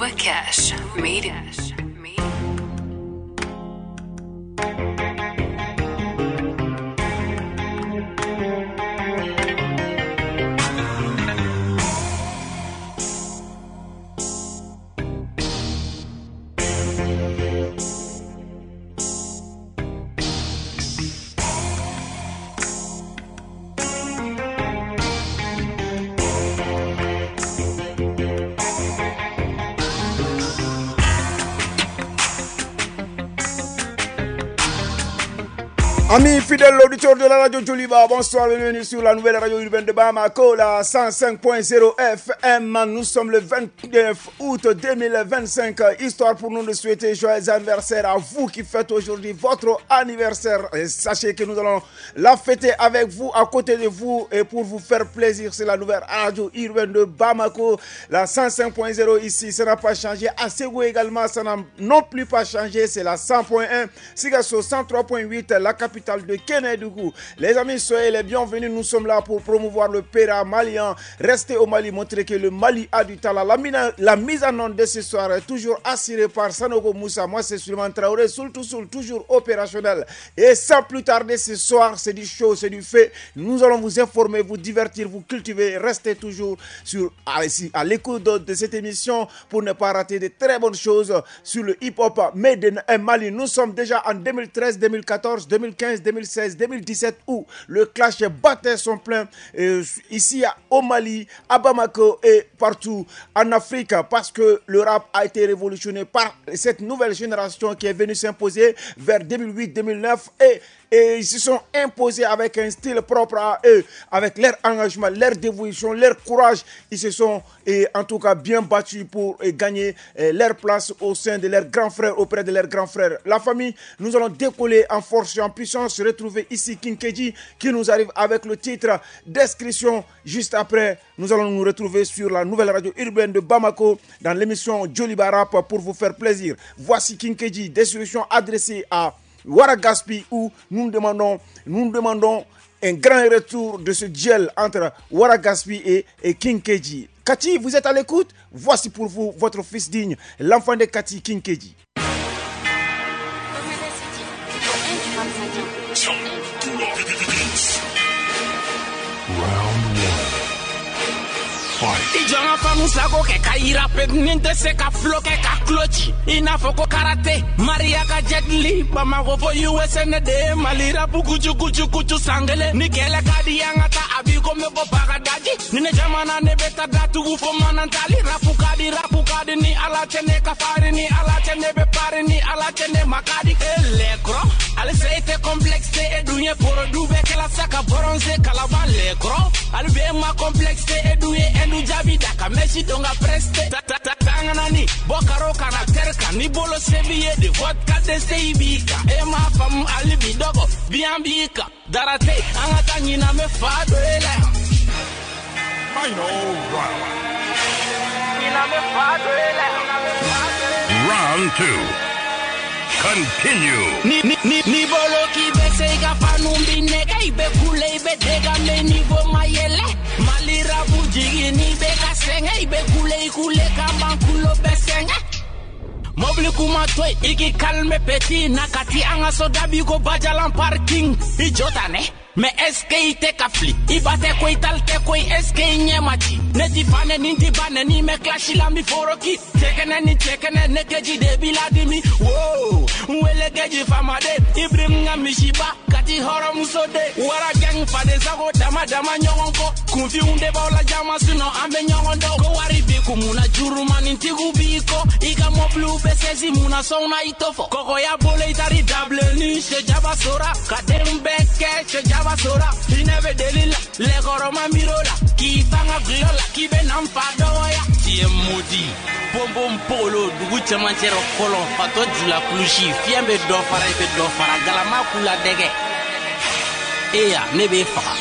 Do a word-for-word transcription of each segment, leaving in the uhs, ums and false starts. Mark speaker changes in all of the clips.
Speaker 1: Bouba Cash made it.
Speaker 2: Amis fidèles auditeurs de la radio Djoliba, bonsoir, bienvenue sur la nouvelle radio urbaine de Bamako, la cent cinq point zéro F M. Nous sommes le vingt-neuf août deux mille vingt-cinq. Histoire pour nous de souhaiter joyeux anniversaire à vous qui faites aujourd'hui votre anniversaire. Et sachez que nous allons la fêter avec vous, à côté de vous, et pour vous faire plaisir, c'est la nouvelle radio urbaine de Bamako, la cent cinq point zéro ici, ça n'a pas changé. À Ségou également, ça n'a non plus pas changé, c'est la cent point un. Sikasso cent trois point huit, la capitale de Kénédougou. Les amis, soyez les bienvenus. Nous sommes là pour promouvoir le Péra malien. Restez au Mali, montrer que le Mali a du talent. La, mina, la mise en onde de ce soir est toujours assurée par Sanogo Moussa. Moi, c'est Suleiman Traoré, soul tout soul, toujours opérationnel. Et sans plus tarder, ce soir, c'est du show, c'est du fait. Nous allons vous informer, vous divertir, vous cultiver. Restez toujours sur, à, à l'écoute de, de cette émission pour ne pas rater de très bonnes choses sur le hip-hop made in Mali. Nous sommes déjà en deux mille treize, deux mille quatorze, deux mille quinze, deux mille seize, deux mille dix-sept où le clash battait son plein euh, ici au Mali, à Bamako et partout en Afrique, parce que le rap a été révolutionné par cette nouvelle génération qui est venue s'imposer vers deux mille huit deux mille neuf et, et ils se sont imposés avec un style propre à eux, avec leur engagement, leur dévotion, leur courage. Ils se sont et, en tout cas bien battus pour et, gagner et, leur place au sein de leurs grands frères, auprès de leurs grands frères. La famille, nous allons décoller en force et en puissance, se retrouver ici King K J qui nous arrive avec le titre Description. Juste après, nous allons nous retrouver sur la nouvelle radio urbaine de Bamako dans l'émission Djoliba Rap pour vous faire plaisir. Voici King K J, Description adressée à Wara Gaspi, où nous demandons, nous demandons un grand retour de ce duel entre Wara Gaspi et, et King K J. Kati, vous êtes à l'écoute? Voici pour vous votre fils digne, l'enfant de Kati, King K J.
Speaker 3: I jɔn ka faamu sago kɛ ka yira pe ni tɛ se ka fulo kɛ ka kulo ci i n'a fɔ ko karate Maria ka jet li Bamako fo U S A ne de ye Mali rapu kucu kucu kucu san kelen ni kɛlɛ ka di an ka taa a b'i komi ko Bagadaji ni ne jamana ne bɛ taa datugu fo Manantali rapu ka di rapu ka di ni Ala cɛ ne ka farin ni Ala cɛ ne bɛ pari ni Ala cɛ ne ma ka di e lɛkɔrɔ halisa e tɛ complexe e dun ye porodu bɛɛ kɛla sa ka bronze kalaban lɛkɔrɔ hali bi e ma complexe e dun ye Endu jaabi da ka Messi don ka preste ta ta ta tanganani bɔ karo kana tɛri kan ni bolo se b'i ye de vodka dɛsɛ i b'i kan e m'a faamu hali bi dɔgɔ biyan b'i kan dara tɛ an ka taa ɲinan bɛ fa dɔ e la yan.
Speaker 4: Final round.
Speaker 3: Ɲinan bɛ fa dɔ e la yan.
Speaker 4: Round two. Continue.
Speaker 3: Ni ni ni ni bolo k'i bɛ se i ka fanu b'i nɛgɛ i bɛ kule i bɛ dégame niveau ma yɛlɛ Mali rapu jigin n'i bɛ ka sɛgɛn i bɛ kule i kule ka ban kulo bɛ sɛgɛn. Mobili kuma to yen i k'i calme petit na ka ti an ka so dabi ko Bajalan parking i jɔ ta nɛ. Mais est-ce que i tɛ ka fili i ba tɛ ko i tali tɛ ko est-ce que i ɲɛ ma ci ne ti fa ne ni ti ba ne ni mɛ kilasi la n bi foroki cɛkɛnɛ ni cɛkɛnɛ ne keji de b'i ladimi wo n wele keji famaden Ibrahim ka misiba Kati hɔrɔnmuso de wara gang faden sago dama dama ɲɔgɔn kɔ kunfinw de b'aw la jama sinon an bɛ ɲɔgɔn dɔn ko wari b'i kun mun na jurumanintigiw b'i kɔ i ka mɔbiliw bɛ sɛsi mun na sɔn na i t'o fɔ kɔkɔya bolo i taari dabilenni sɛjaba sora ka den bɛɛ kɛ sɛjaba sora hinɛ bɛ deli la lɛkɔrɔma miiro la k'i fanga gulɔ la k'i bɛ na n fa dɔgɔya tu es maudit bonbon polo dugu cɛmancɛ rɔ kɔlɔn fatɔ jula kulusi fiɲɛ bɛ dɔ fara i bɛ dɔ fara galama k'u la dɛgɛ eya ne b'e faga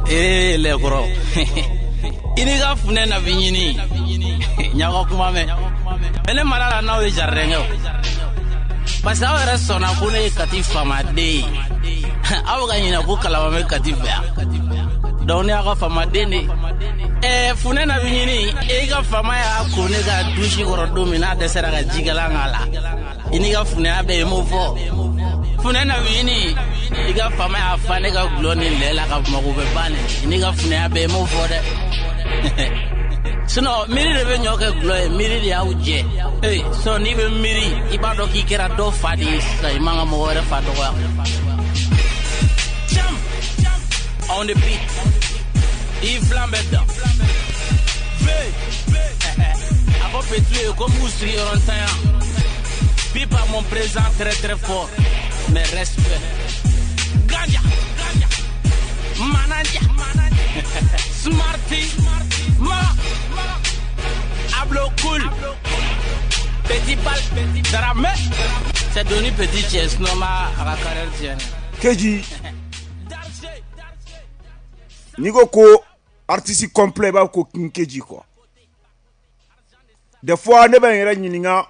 Speaker 3: ee lɛkɔrɔ i n'i ka funɛ na bi ɲini ɲaga kuma mɛn mɛ ne mara la n'aw ye jardin kɛ o parce que aw yɛrɛ sɔnna ko ne ye Kati faamaden ye aw bɛ ka ɲinɛ ko Kalaban bɛ Kati fɛ yan donc ne y'aw ka faamaden de ye. Eh, funɛ na bi ɲini i ka fama y'a ko ne ka dusi kɔrɔ don min n'a dɛsɛra ka jikalan k'a la i n'i ka funɛya bɛɛ i m'o fɔ funɛ na bi ɲini i ka fama y'a fa ne ka gulɔ ni lɛ la ka mago bɛ ban nin i n'i ka funɛya bɛɛ i m'o fɔ dɛ sinon miiri de bɛ ɲɔ kɛ gulɔ ye miiri de y'aw jɛ ee sinon n'i bɛ miiri i b'a dɔn k'i kɛra dɔ fa de ye sisan i man ka mɔgɔ wɛrɛ fa dɔgɔya. Jam on the beat i filan bɛ dan a fɔ petit ye ko m'u sigiyɔrɔ ntanya pipa mon présent très très fort mais respect ganja mananja smarty ma ablo cool petit bal Dramé c'est devenu petit cɛ sinon ma a ka carrière tiɲɛ.
Speaker 2: Keji n'i ko ko artiste complet, i b'a fɔ ko King Keji quoi. Des fois ne bɛ n yɛrɛ ɲininka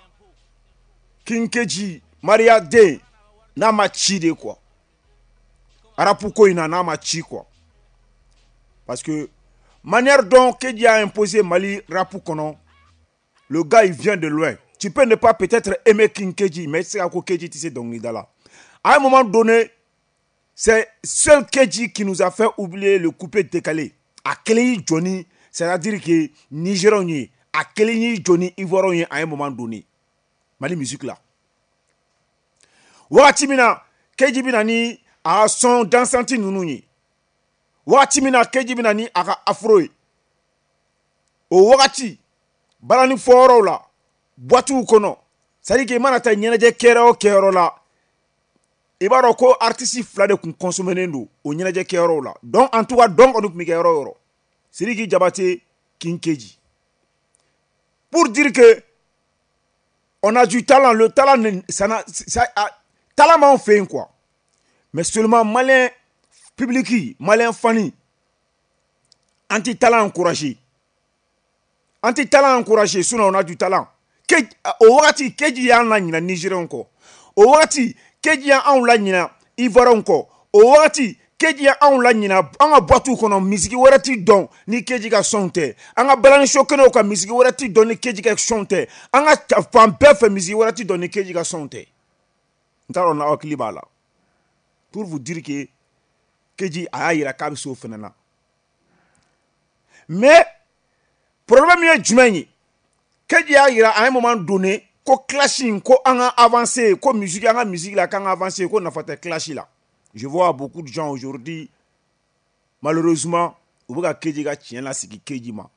Speaker 2: King Keji Maria den n'a ma ci de quoi, rap ko in na n'a ma ci quoi, parce que manière dont Keji a imposé Mali rap kɔnɔ, le gars, il vient de loin. Tu peux ne pas peut-être aimer King Keji, mais c'est ko Keji tɛ se dɔnkilida la. À un moment donné, c'est seul Keji qui nous a fait oublier le coupé décalé. A kelen y'i jɔ ni, c'est-à-dire que Nigériens ye, a kelen y'i jɔ ni Ivoiriens ye à un moment donné Mali musique la. Wagati min na Keji bɛ na ni a ka son dansante ninnu ye, wagati min na Keji bɛ na ni a ka afro ye, o wagati balani fɔyɔrɔw la, boîtew kɔnɔ, c'est à dire que i mana taa ɲɛnajɛ kɛyɔrɔ o kɛyɔrɔ la, i b'a dɔn ko artiste fila de kun consommé don o ɲɛnajɛ kɛyɔrɔw la. Donc en tout cas dɔn kɔni tun bɛ kɛ yɔrɔ o yɔrɔ, Sidiki Diabaté, King Keji, pour dire que on a du talent. Le talent, ça n'a ça talent m'anw fɛ yen quoi, mais seulement malien public, malien fan an ti talent encouragé, an ti talent encouragé. Sinon on a du talent. O wagati Keji y'an la ɲina Nigériens kɔ, o wagati Keji y'anw la ɲina Ivoiriens kɔ, o wagati Keji y'anw la ɲina an ka boîte kɔnɔ, misiki wɛrɛ ti dɔn ni Keji ka son tɛ. An ka balani so kɛnɛw kan, misiki wɛrɛ ti dɔn ni Keji ka son tɛ. An ka fan bɛɛ fɛ, misiki wɛrɛ ti dɔn ni Keji ka son tɛ. N t'a dɔn n'aw hakili b'a la. Pour vous dire que Keji a y'a yira k'a bɛ se o fana na. Mais problème ye jumɛn ye? Keji y'a yira à un moment donné ko clash in, ko an ka avancer, ko musique, an ka musique la, k'an ka avancer, ko nafa tɛ clash la. Je vois beaucoup de gens aujourd'hui, malheureusement, u bɛ ka Keji ka tiɲɛ lasigi Keji ma.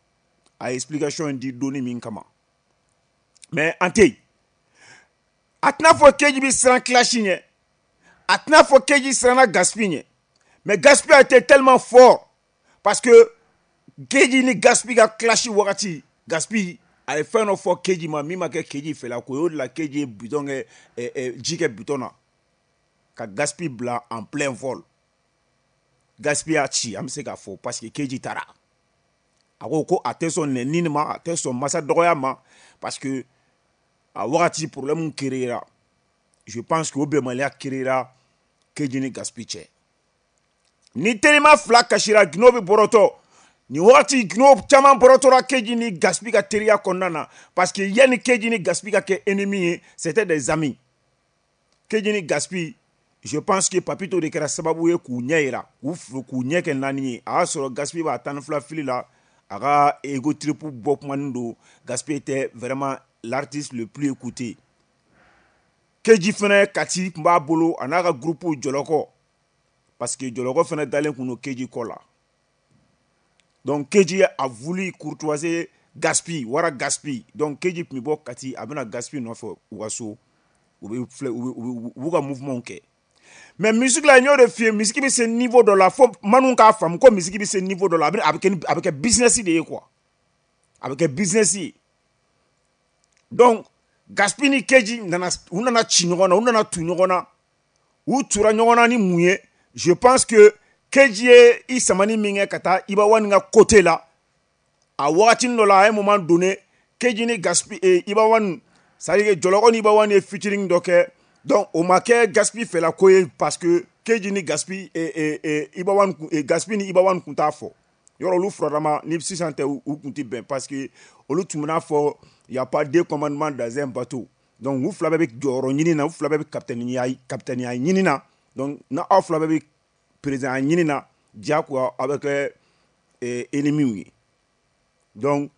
Speaker 2: A ye explication in di donni min kama, mais an tɛ yen. A tɛna fɔ Keji bɛ siran clash ɲɛ, a tɛna fɔ Keji siranna Gaspi ɲɛ, mais Gaspi a été tellement fort parce que Keji ni Gaspi ka clash wagati, Gaspi a ye fɛn dɔ fɔ Keji ma min ma kɛ Keji fɛla ko ye. O de la Keji ye bidon kɛ ji kɛ bidon na ka Gaspi bila en plein vol. Gaspi y'a ci, an bɛ se k'a fɔ, parce que Keji taara a ko ko a tɛ sɔn nɛni ma, a tɛ sɔn masa dɔgɔya ma, parce que a wagati problème créera. Je pense que o bɛnbaliya créera Keji ni Gaspi cɛ. Ni terima fila kasira, gindo bɛ bɔrɔtɔ. Nin wagati gindo caman bɔrɔtɔra Keji ni Gaspi ka teriya kɔnɔna na, parce que yanni Keji ni Gaspi ka kɛ ennemi ye, c'était des amis. Keji ni Gaspi, je pense que Papito de kɛra sababu ye k'u ɲɛ yira, k'u k'u ɲɛ kɛ naani ye. A y'a sɔrɔ Gaspi b'a tan ni fila fili la, a ka ego trip bɔ kumanin don. Gaspi était vraiment l'artiste le plus écouté. Keji fɛnɛ Kati tun b'a bolo, a n'a ka groupe Jɔlɔkɔ, parce que Jɔlɔkɔ fɛnɛ dalen kun don Keji kɔ la. Donc Keji a voulu courtoiser Gaspi, wara Gaspi. Donc Keji tun bɛ bɔ Kati, a bɛna Gaspi nɔfɛ u ka so, u bɛ filɛ, u bɛ u b'u ka mouvement kɛ. Mais musique la, n y'o de f'i ye, musique bɛ se niveau dɔ la fo manu k'a faamu ko musique bɛ se niveau dɔ la, a bɛ a bɛ kɛ a bɛ kɛ business de ye quoi, a bɛ kɛ business ye. Donc Gaspi ni Keji nana, u nana ci ɲɔgɔn na, u nana tu ɲɔgɔn na. U tura ɲɔgɔn na ni mun ye? Je pense que Keji ye i samani min kɛ ka taa Iba One ka côté la a wagatinin dɔ la. À un moment donné, Keji ni Gaspi eh, Iba One, c'est à dire que Jɔlɔkɔ ni Iba One ye featuring dɔ kɛ. Donc o ma kɛ Gaspi fɛla ko ye, parce que Keji ni Gaspi eh, eh, eh, Iba One eh, Gaspi ni Iba One kun t'a fɔ. Yɔrɔ olu furadama ni sisan tɛ, u kun tɛ bɛn, parce que olu tun bɛna fɔ y a pas deux commandements dans un bateau. Donc u fila bɛɛ bɛ jɔyɔrɔ ɲini na, u fila bɛɛ bɛ capitaine capitaine ɲini na. Donc na aw fila bɛɛ bɛ président ɲini na, diyagoya aw bɛ kɛ ennemis ye. Donc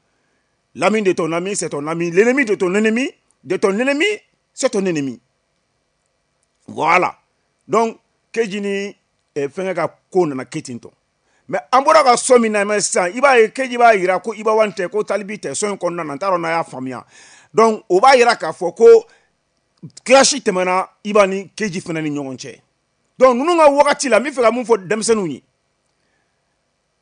Speaker 2: l'ami de ton ami, c'est ton ami. L'ennemi de ton ennemi, de ton ennemi, c'est ton ennemi. Voilà. Donc Keji ni fɛnkɛ ka ko nana kɛ ten tɔ. Mais an bɔra ka son min lamɛn sisan, i b'a ye Keji b'a yira ko Iba One tɛ, ko Talibi tɛ son in kɔnɔna na. N t'a dɔn n'a y'a faamuya. Donc o b'a yira k'a fɔ ko clash tɛmɛna Iba ni Keji fana ni ɲɔgɔn cɛ. Donc ninnu ka wagati la, n bɛ fɛ ka mun fɔ denmisɛnninw ye,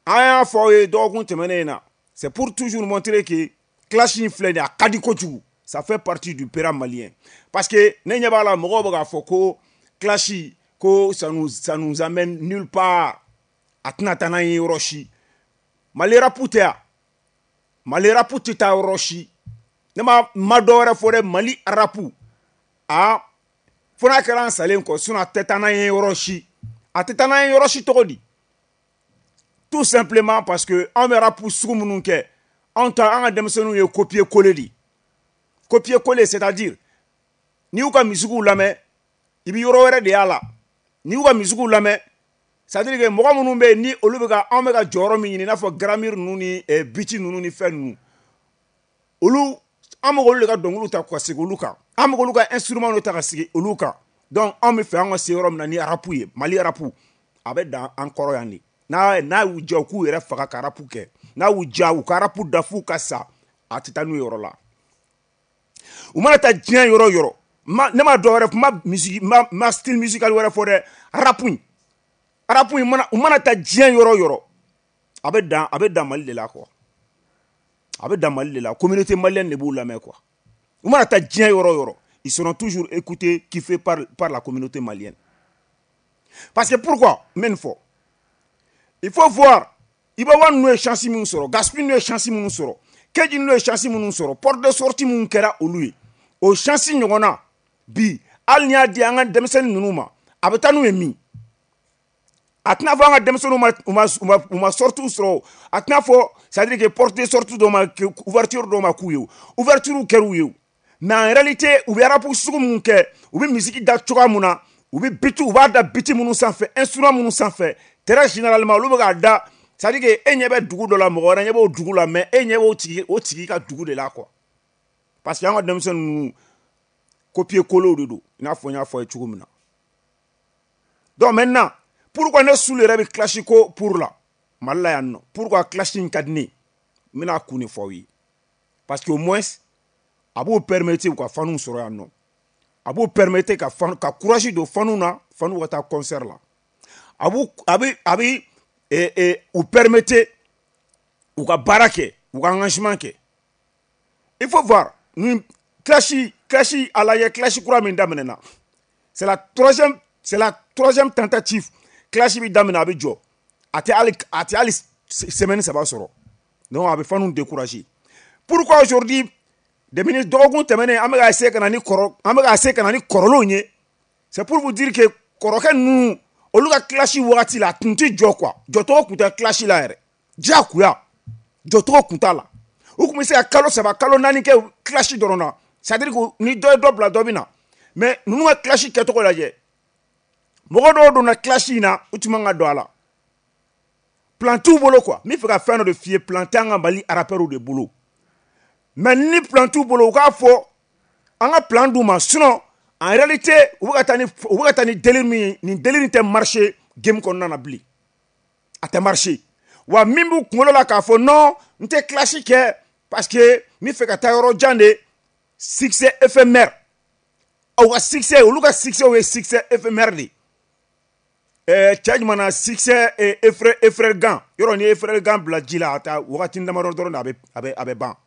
Speaker 2: an y'a fɔ aw ye dɔgɔkun tɛmɛnen in na, c'est pour toujours montrer que clash in filɛ nin ye, a ka di kojugu. Ça fait partie du pera malien, parce que ne ɲɛ b'a la, mɔgɔw bɛ k'a fɔ ko clash ko ça nous ça nous amène nulle part, a tɛna taa n'an ye yɔrɔ si. Mali rap tɛ yan, Mali rap tɛ taa yɔrɔ si. Ne ma ma dɔ wɛrɛ fɔ dɛ, Mali rap, a fo n'a kɛra an salen kɔ, sinon a tɛ taa n'an ye yɔrɔ si. A tɛ taa n'an ye yɔrɔ si cogo di? Tout simplement parce que anw bɛ rap sugu minnu kɛ, anw ta, an ka denmisɛnninw ye copier coller de. Copier coller, c'est-à-dire n'i y'u ka misikiw lamɛn, i bɛ yɔrɔ wɛrɛ de y'a la. N'i y'u ka misikiw lamɛn, c'est-à-dire que mɔgɔ minnu bɛ yen ni olu bɛ ka anw bɛ ka jɔyɔrɔ min ɲini, i n'a fɔ grammaire ninnu ni beat ninnu ni fɛn ninnu, olu an bɛ k'olu de ka dɔnkiliw ta ka sigi olu kan, an bɛ k'olu ka instrument de ta ka sigi olu kan. Donc anw bɛ fɛ an ka se yɔrɔ min na ni rap ye, Mali rap, a bɛ dan an kɔrɔ yan de. N'a n'a y'u diya, u k'u yɛrɛ faga ka rap kɛ. N'a y'u diya, u ka rap da f'u ka sa, a tɛ taa n'u yɔrɔ la. U mana taa diɲɛ yɔrɔ o yɔrɔ, ma ne ma dɔ wɛrɛ ma, musique ma, ma style musical wɛrɛ fɔ dɛ, rap in rap in mana, u mana taa diɲɛ yɔrɔ o yɔrɔ, a bɛ dan a bɛ dan Mali de la quoi. A bɛ dan Mali de la, communauté malienne de b'u lamɛn quoi. U mana taa diɲɛ yɔrɔ o yɔrɔ, ils seront toujours écoutés, kiffés par par la communauté malienne. Parce que pourquoi n bɛ nin fɔ? Il faut voir Iba One ninnu ye chance minnu sɔrɔ, Gaspi ninnu ye chance minnu sɔrɔ, Keji ninnu ye chance minnu sɔrɔ, porte de sortie minnu kɛra olu ye, o chance ɲɔgɔnna bi, hali n'i y'a di an ka denmisɛnnin ninnu ma, a bɛ taa n'u ye min? A tɛna fɔ an ka denmisɛnninw ma u ma u ma u ma sortie sɔrɔ. A tɛna fɔ, c'est à dire que porte de sortie dɔw ma, ouverture dɔw ma k'u ye, ouverture kɛr'u ye. Mais en réalité, u bɛ rap sugu minnu kɛ, u bɛ musique da cogoya mun na, u bɛ beat, u b'a da beat minnu sanfɛ, instrument minnu sanfɛ, très généralement olu bɛ k'a da, c'est à dire que e ɲɛ bɛ dugu dɔ la, mɔgɔ wɛrɛ ɲɛ b'o dugu la, mais e ɲɛ b'o tigi o tigi ka dugu de la quoi. Parce que an ka denmisɛnnin ninnu, copier coller de don, i n'a fɔ n y'a fɔ a ye cogo min na. Donc maintenant, pourquoi ne Sulu yɛrɛ bɛ clash ko pour la Mali la yan nɔ? Pourquoi clash in ka di ne ye? N bɛna kun de fɔ aw ye. Parce que au moins a b'o permettre u ka fanw sɔrɔ yan nɔ, a b'o permettre ka fan ka courage don fanw na, fanw ka taa concert la. A b'u a bɛ a bɛ eh, eh, u permettre u ka baara kɛ, u ka engagement kɛ. Il faut voir ni clash clash a lajɛ, clash kura min daminɛna, c'est la troisième c'est la troisième tentative. Clash bi daminɛ, a bɛ jɔ, a tɛ hali a tɛ hali semaine saba sɔrɔ. Donc a bɛ fanw décourager. Pourquoi aujourd'hui, depuis dɔgɔkun tɛmɛnen, an bɛ ka essayer ka na ni kɔrɔ an bɛ ka essayer ka na ni kɔrɔlenw ye? C'est pour vous dire que kɔrɔkɛ ninnu, olu ka clash wagati la, a tun tɛ jɔ quoi. Jɔcogo tun tɛ clash la yɛrɛ, diyagoya jɔcogo tun t'a la. U tun bɛ se ka kalo saba, kalo naani kɛ clash dɔrɔn na, c'est à dire que ni dɔ ye dɔ bila, dɔ bɛ na. Mais ninnu ka clash kɛcogo lajɛ, mɔgɔ dɔw donna clash in na, u tun man ka don a la. Plan t'u bolo quoi. N bɛ fɛ ka fɛn dɔ de f'i ye, plan tɛ an ka Mali rappeurs de bolo. Mais ni plan t'u bolo, u k'a fɔ an ka plan d'u ma. Sinon en réalité, u bɛ ka taa ni u bɛ ka taa ni délire min ye, nin délire in tɛ marcher game kɔnɔna na bilen, a tɛ marcher. Wa min b'u kunkolo la k'a fɔ non, n tɛ clash kɛ parce que n bɛ fɛ ka taa yɔrɔ jan de, succès éphémère. Aw ka succès, olu ka succès ye succès éphémère de. Ɛɛ cɛ jumɛn na succès effrayant effrayant yɔrɔ, ni effrayant bila ji la, a taa wagati damadɔ dɔrɔn de, a bɛ a bɛ a bɛ ban.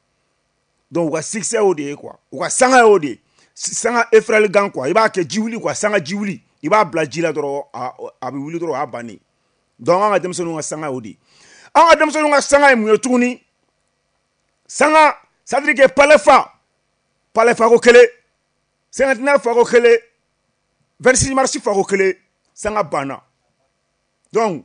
Speaker 2: Donc u ka succès y'o de ye quoi, u ka sanga y'o de ye, sanga effrayant quoi. I b'a kɛ ji wuli quoi, sanga ji wuli, i b'a bila ji la dɔrɔn, a a bɛ wuli dɔrɔn, o y'a bannen. Donc an ka denmisɛnninw ka sanga y'o de ye. An ka denmisɛnninw ka sanga ye mun ye tuguni? Sanga, c'est à dire que palais fa palais fako kelen, cinquantenaire fako kelen, vingt-six mars fako kelen, sanga banna. Donc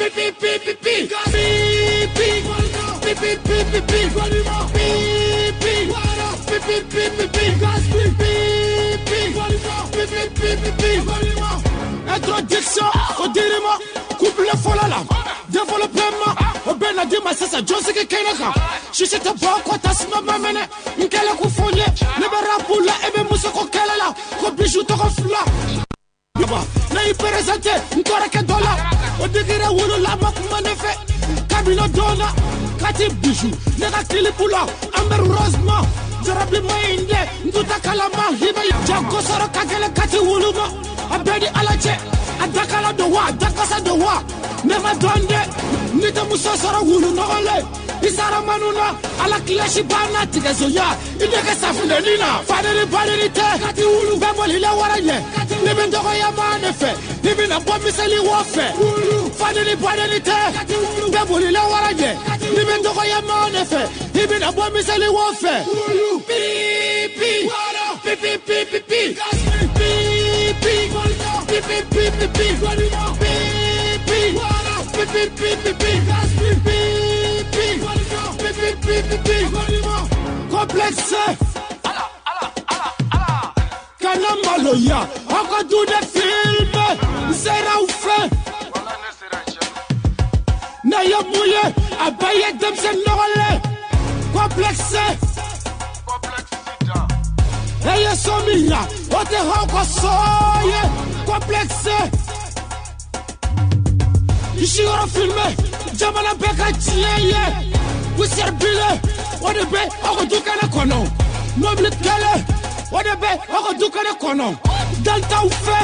Speaker 5: Pi pi pi pi pi. Pi pi. Pi pi pi pi pi. Pi pi. Pi pi pi pi pi. Pi pi. Pi pi pi pi pi. Introduction au dirima. Couple fɔlɔ la. Développement. O bɛɛ na di ma sisan jɔnsigi kɛnɛ kan. Sisi tɛ bɔ ko tasuma ma mɛnɛ. N kɛlen ko fɔ n ye. Ne bɛ rapu la e bɛ musoko kɛlɛ la. Ko bijou tɔgɔ fila. Ne y'i présenté n kɔrɔkɛ dɔ la. O digira wolo la ma kuma ne fɛ. Kabini don na. Kati bijou ne ka kilipu la. Amber Rose ma. Jarabi ma in dɛ. N tun tɛ kalama i bɛ jago sɔrɔ ka gɛlɛn kati wulu ma. A bɛɛ ni Ala cɛ. A dakala don wa a dakasa don wa. Ne ma dɔn dɛ. N'i tɛ muso sɔrɔ wulu nɔgɔlen. I sara manu na. Ala kilasi banna tigɛsoya. I nɛgɛ safunɛni na. Fadeni badeni tɛ. Kati wulu. Bɛɛ bolila wara ɲɛ. Ne bɛ dɔgɔya maa de fɛ. I bɛna bɔ miseli wɔ fɛ. Fadeni badeni tɛ. Kati wulu. Bɛɛ bolila wara ɲɛ. Ne bɛ dɔgɔya maa de fɛ. I bɛna bɔ miseli wɔ fɛ. Pi pi. Pi pi pi pi pi. Pi pi. Pi pi pi pi pi. Pi pi. Pi pi pi pi pi. Pi pi. Pi pi pi pi pi. Complexe. Kana maloya. Aw ka du de filme. N sera aw fɛ. Ne ye mun ye? A bɛɛ ye denmisɛn nɔgɔlen. Complexe. E ye so min yira, o tɛ aw ka so ye. Complexe. I siyɔrɔ filme. Jamana bɛɛ ka tiɲɛ ye. Poussière bilen, o de bɛ aw ka du kɛnɛ kɔnɔ. Mobili kɛlɛ, o de bɛ aw ka du kɛnɛ kɔnɔ. Dan t'aw fɛ.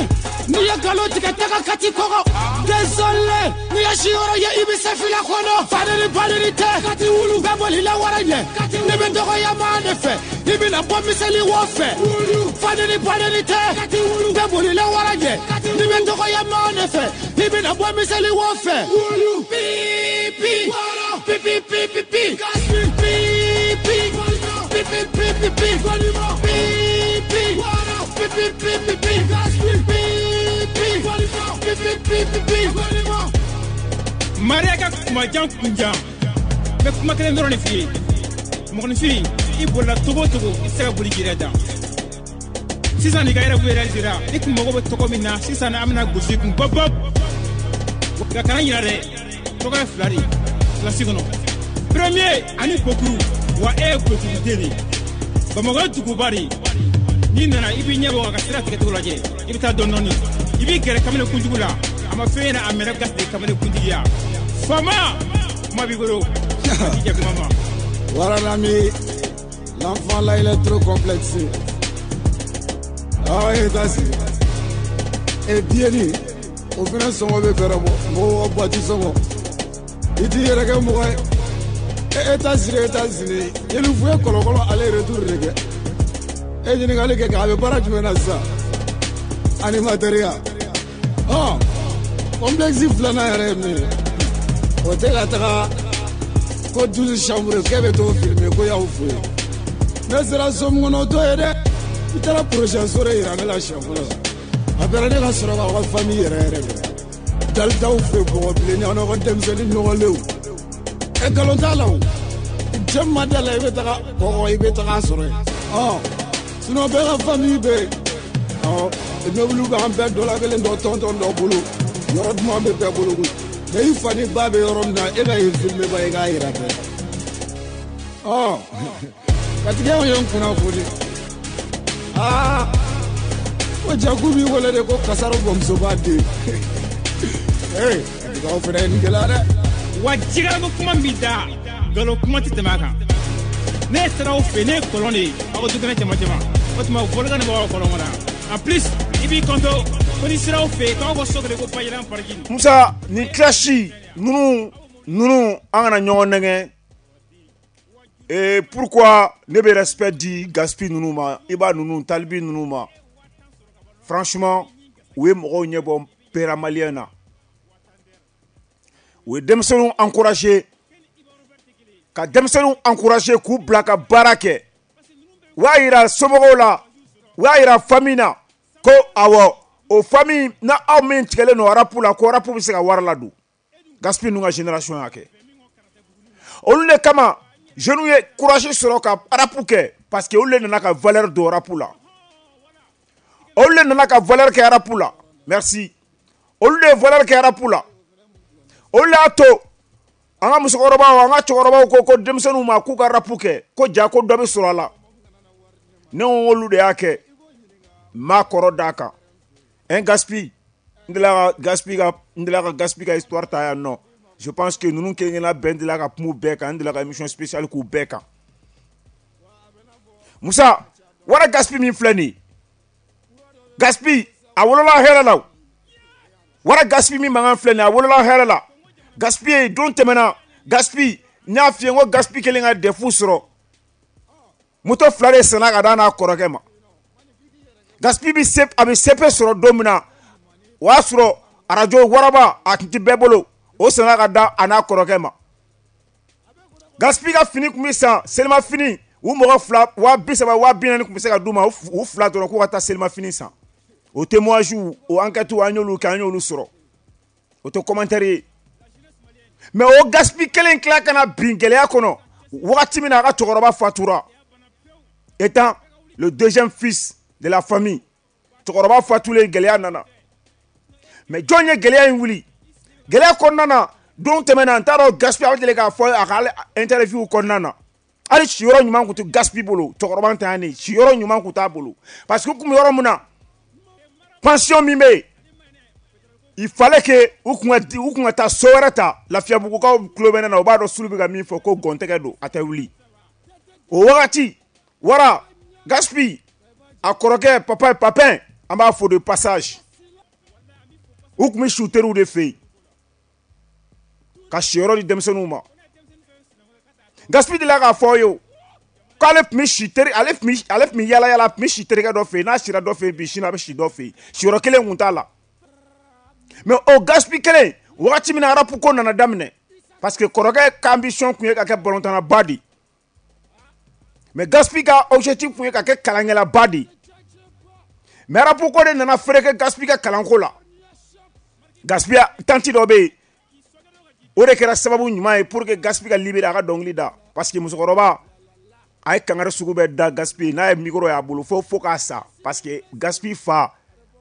Speaker 5: N'i ye nkalon tigɛ tɛ ka kati kɔgɔ. Désolé, n'i ye siyɔrɔ ye i bɛ se fila kɔnɔ. Fadeni badeni tɛ. Kati wulu. Bɛɛ bolila wara ɲɛ. Ne bɛ dɔgɔya maa de fɛ. I bɛna bɔ miseli wɔ fɛ. Fadeni badeni tɛ. Kati wulu. Bɛɛ bolila wara ɲɛ. Ne bɛ dɔgɔya maa de fɛ. I bɛna bɔ miseli wɔ fɛ. Pi pi. Pi pi pi pi pi. Pi pi. Pi pi pi pi pi. Pi pi. Pi pi pi pi pi. Pi pi. Pi pi pi pi pi.
Speaker 6: Maria ka kumajan kunjan. N bɛ kuma kelen dɔrɔn de f'i ye. Mɔgɔninfin, i bolila togo o togo, i tɛ se ka boli k'i yɛrɛ dan. Sisan n'i ka yɛrɛ réalisera, i kun mago bɛ tɔgɔ min na, sisan an bɛna gosi i kun bɔp bɔp. Nka kana ɲinɛ dɛ, tɔgɔ ye fila de ye kilasi kɔnɔ. Premier ani Bokuru, wa e ye Bokuru den de ye. Bamakɔ ye duguba de ye. N'i nana i b'i ɲɛ bɔ ka sira tigɛcogo lajɛ, i bɛ taa dɔɔni dɔɔni. I b'i gɛrɛ kamalen kunjugu la, a ma fɛn ɲɛna a mɛnɛ gasi de kamalen kuntigiya. Faama, kuma b'i bolo. A t'i jɛ kuma ma.
Speaker 7: Voilà l'ami, l'enfant là il est trop complexé. Ah oui, c'est Et bien dit, au final sɔngɔ bɛ fɛɛrɛ bɔ, mɔgɔw ka boîte sɔngɔ. I t'i yɛrɛ kɛ mɔgɔ ye. E États-Unis, États-Unis, Yelifu ye kɔlɔkɔlɔ aller retour de kɛ. E ɲininkali kɛ k'a bɛ baara jumɛn na sisan? Animateur ya. Ɔ, complexe filanan yɛrɛ ye min ye, o tɛ ka taga ko douze chambres k'e bɛ t'o filmer ko y'aw fo yen. Ne sera so min kɔnɔ o t'o ye dɛ. I taara projet so de yira ne la siɲɛ fɔlɔ. A bɛra ne ka sɔrɔ k'aw ka famille yɛrɛ yɛrɛ kɛ. Dalitaw fɛ bɔgɔ bilenni aw n'aw ka denmisɛnnin nɔgɔlenw. E nkalon t'a la o. Cɛ min ma da la i bɛ taga kɔgɔ i bɛ taga a sɔrɔ yen. Ɔ sinon bɛɛ ka famille bɛ yen. Ɔ immeuble b'an bɛɛ dɔ la kelen dɔ tɔntɔn dɔ bolo. Yɔrɔ duman bɛ bɛɛ bolo koyi. Mais i fa ni ba bɛ yɔrɔ min na e ka yen filmer ba i k'a yira bɛɛ. Ɔ katigɛw ye n kunnafoni. Aa ko jaku b'i wele de ko kasaro bamusoba den. Ee katigɛw fana ye nin gɛlɛya dɛ.
Speaker 6: Wa jigarako kuma min b'i da, nkalon kuma tɛ tɛmɛ a kan. Ne sera aw fɛ, ne ye kɔlɔn de ye aw ka dukɛnɛ cɛman cɛman. O tuma volcan de b'aw ka kɔlɔn kɔnɔ. En plus, i b'i kanto ko n'i sera aw fɛ yen k'aw ka so kelen ko Bajiran parking.
Speaker 2: Musa, nin clash ninnu ninnu an kana ɲɔgɔn nɛgɛn. Et pourquoi ne bɛ respect di Gaspi ninnu ma, Iba ninnu, Talibi ninnu ma? Franchement, u ye mɔgɔw ɲɛbɔ pera malien na. U ye denmisɛnninw encourager, ka denmisɛnninw encourager k'u bila ka baara kɛ. U y'a yira somɔgɔw la, u y'a yira famille na ko awɔ, o famille na aw min tigɛlen don rap la, ko rap bɛ se ka wari ladon. Gaspi ninnu ka génération y'a kɛ. Olu de kama jeunes ye courage sɔrɔ ka rap kɛ, parce que olu de nana ka valeur don rap la. Olu de nana ka valeur kɛ rap la. Merci. Olu de ye valeur kɛ rap la. Olu y'a to an ka musokɔrɔbaw, an ka cɛkɔrɔbaw ko ko denmisɛnninw ma k'u ka rap kɛ, ko ja ko dɔ bɛ sɔrɔ a la. Ne ko olu de y'a kɛ. N b'a kɔrɔ d'a kan. Un Gaspi, n delila ka Gaspi ka n delila ka Gaspi ka histoire ta yan nɔ. Je pense que ninnu kelen kelenna bɛɛ n delila ka kuma u bɛɛ kan, n delila ka émission spéciale k'u bɛɛ kan. Musa, wara Gaspi min filɛ nin ye, Gaspi a wolola hɛrɛ la o. Wara Gaspi min mankan filɛ nin ye, a wolola hɛrɛ la. Gaspi ye don tɛmɛna, Gaspi n y'a f'i ye n ko Gaspi kelen ka defu sɔrɔ. Moto fila de sanna ka d'a n'a kɔrɔkɛ ma. Gaspi bɛ se, a bɛ C P sɔrɔ don min na, o y'a sɔrɔ arajo waraba a tun tɛ bɛɛ bolo, o sanna ka da a n'a kɔrɔkɛ ma. Gaspi ka fini tun bɛ san selimafini, u mɔgɔ fila waa bi saba waa bi naani tun bɛ se ka d'u ma, u fila dɔrɔn k'u ka taa selimafini san. O témoignage, o enquête an y'olu kɛ, an y'olu sɔrɔ. O tɛ commentaire ye. Mais o Gaspi kelen tila ka na bin gɛlɛya kɔnɔ wagati min na a ka cɛkɔrɔba fatura, étant le deuxième fils de la famille, cɛkɔrɔba fatulen gɛlɛya nana. Mais jɔn ye gɛlɛya in wuli? Gɛlɛya kɔnɔna na, don tɛmɛna n t'a dɔn Gaspi a bɛ deli k'a fɔ a ka interview kɔnɔna na, hali siyɔrɔ ɲuman tun tɛ Gaspi bolo, cɛkɔrɔba ntanyalen siyɔrɔ ɲuman tun t'a bolo, parce que u tun bɛ yɔrɔ min na, pension min bɛ yen, il fallait que u kun ka u kun ka taa so wɛrɛ ta. Lafiyabugukaw tulo bɛ ne na, u b'a dɔn Sulu bɛ ka min fɔ ko gɔntɛgɛ don, a tɛ wuli. O wagati wara Gaspi a kɔrɔkɛ papa Papin, an b'a fo de passage, u tun bɛ su teriw de fɛ yen ka siyɔrɔ di denmisɛnninw ma. Gaspi delila k'a fɔ aw ye o, k'ale tun bɛ si teri, ale tun bɛ ale tun bɛ yala yala, a tun bɛ si terikɛ dɔ fɛ yen, n'a sira dɔ fɛ yen bi, sini a bɛ si dɔ fɛ yen, siyɔrɔ kelen tun t'a la. Mais o Gaspi kelen, wagati min na rap ko nana daminɛ, parce que kɔrɔkɛ ka ambition tun ye ka kɛ balontanna de ye, mais Gaspi ka objectif tun ye ka kɛ kalankɛlaba de ye. Mais rap ko de nana feere kɛ Gaspi ka kalanko la. Gaspi tanti dɔ bɛ yen, o de kɛra sababu ɲuman ye pour que Gaspi ka libérer a ka dɔnkili da, parce que musokɔrɔba a ye kangari sugu bɛɛ da Gaspi, n'a ye micro y'a bolo fo fo k'a sa, parce que Gaspi fa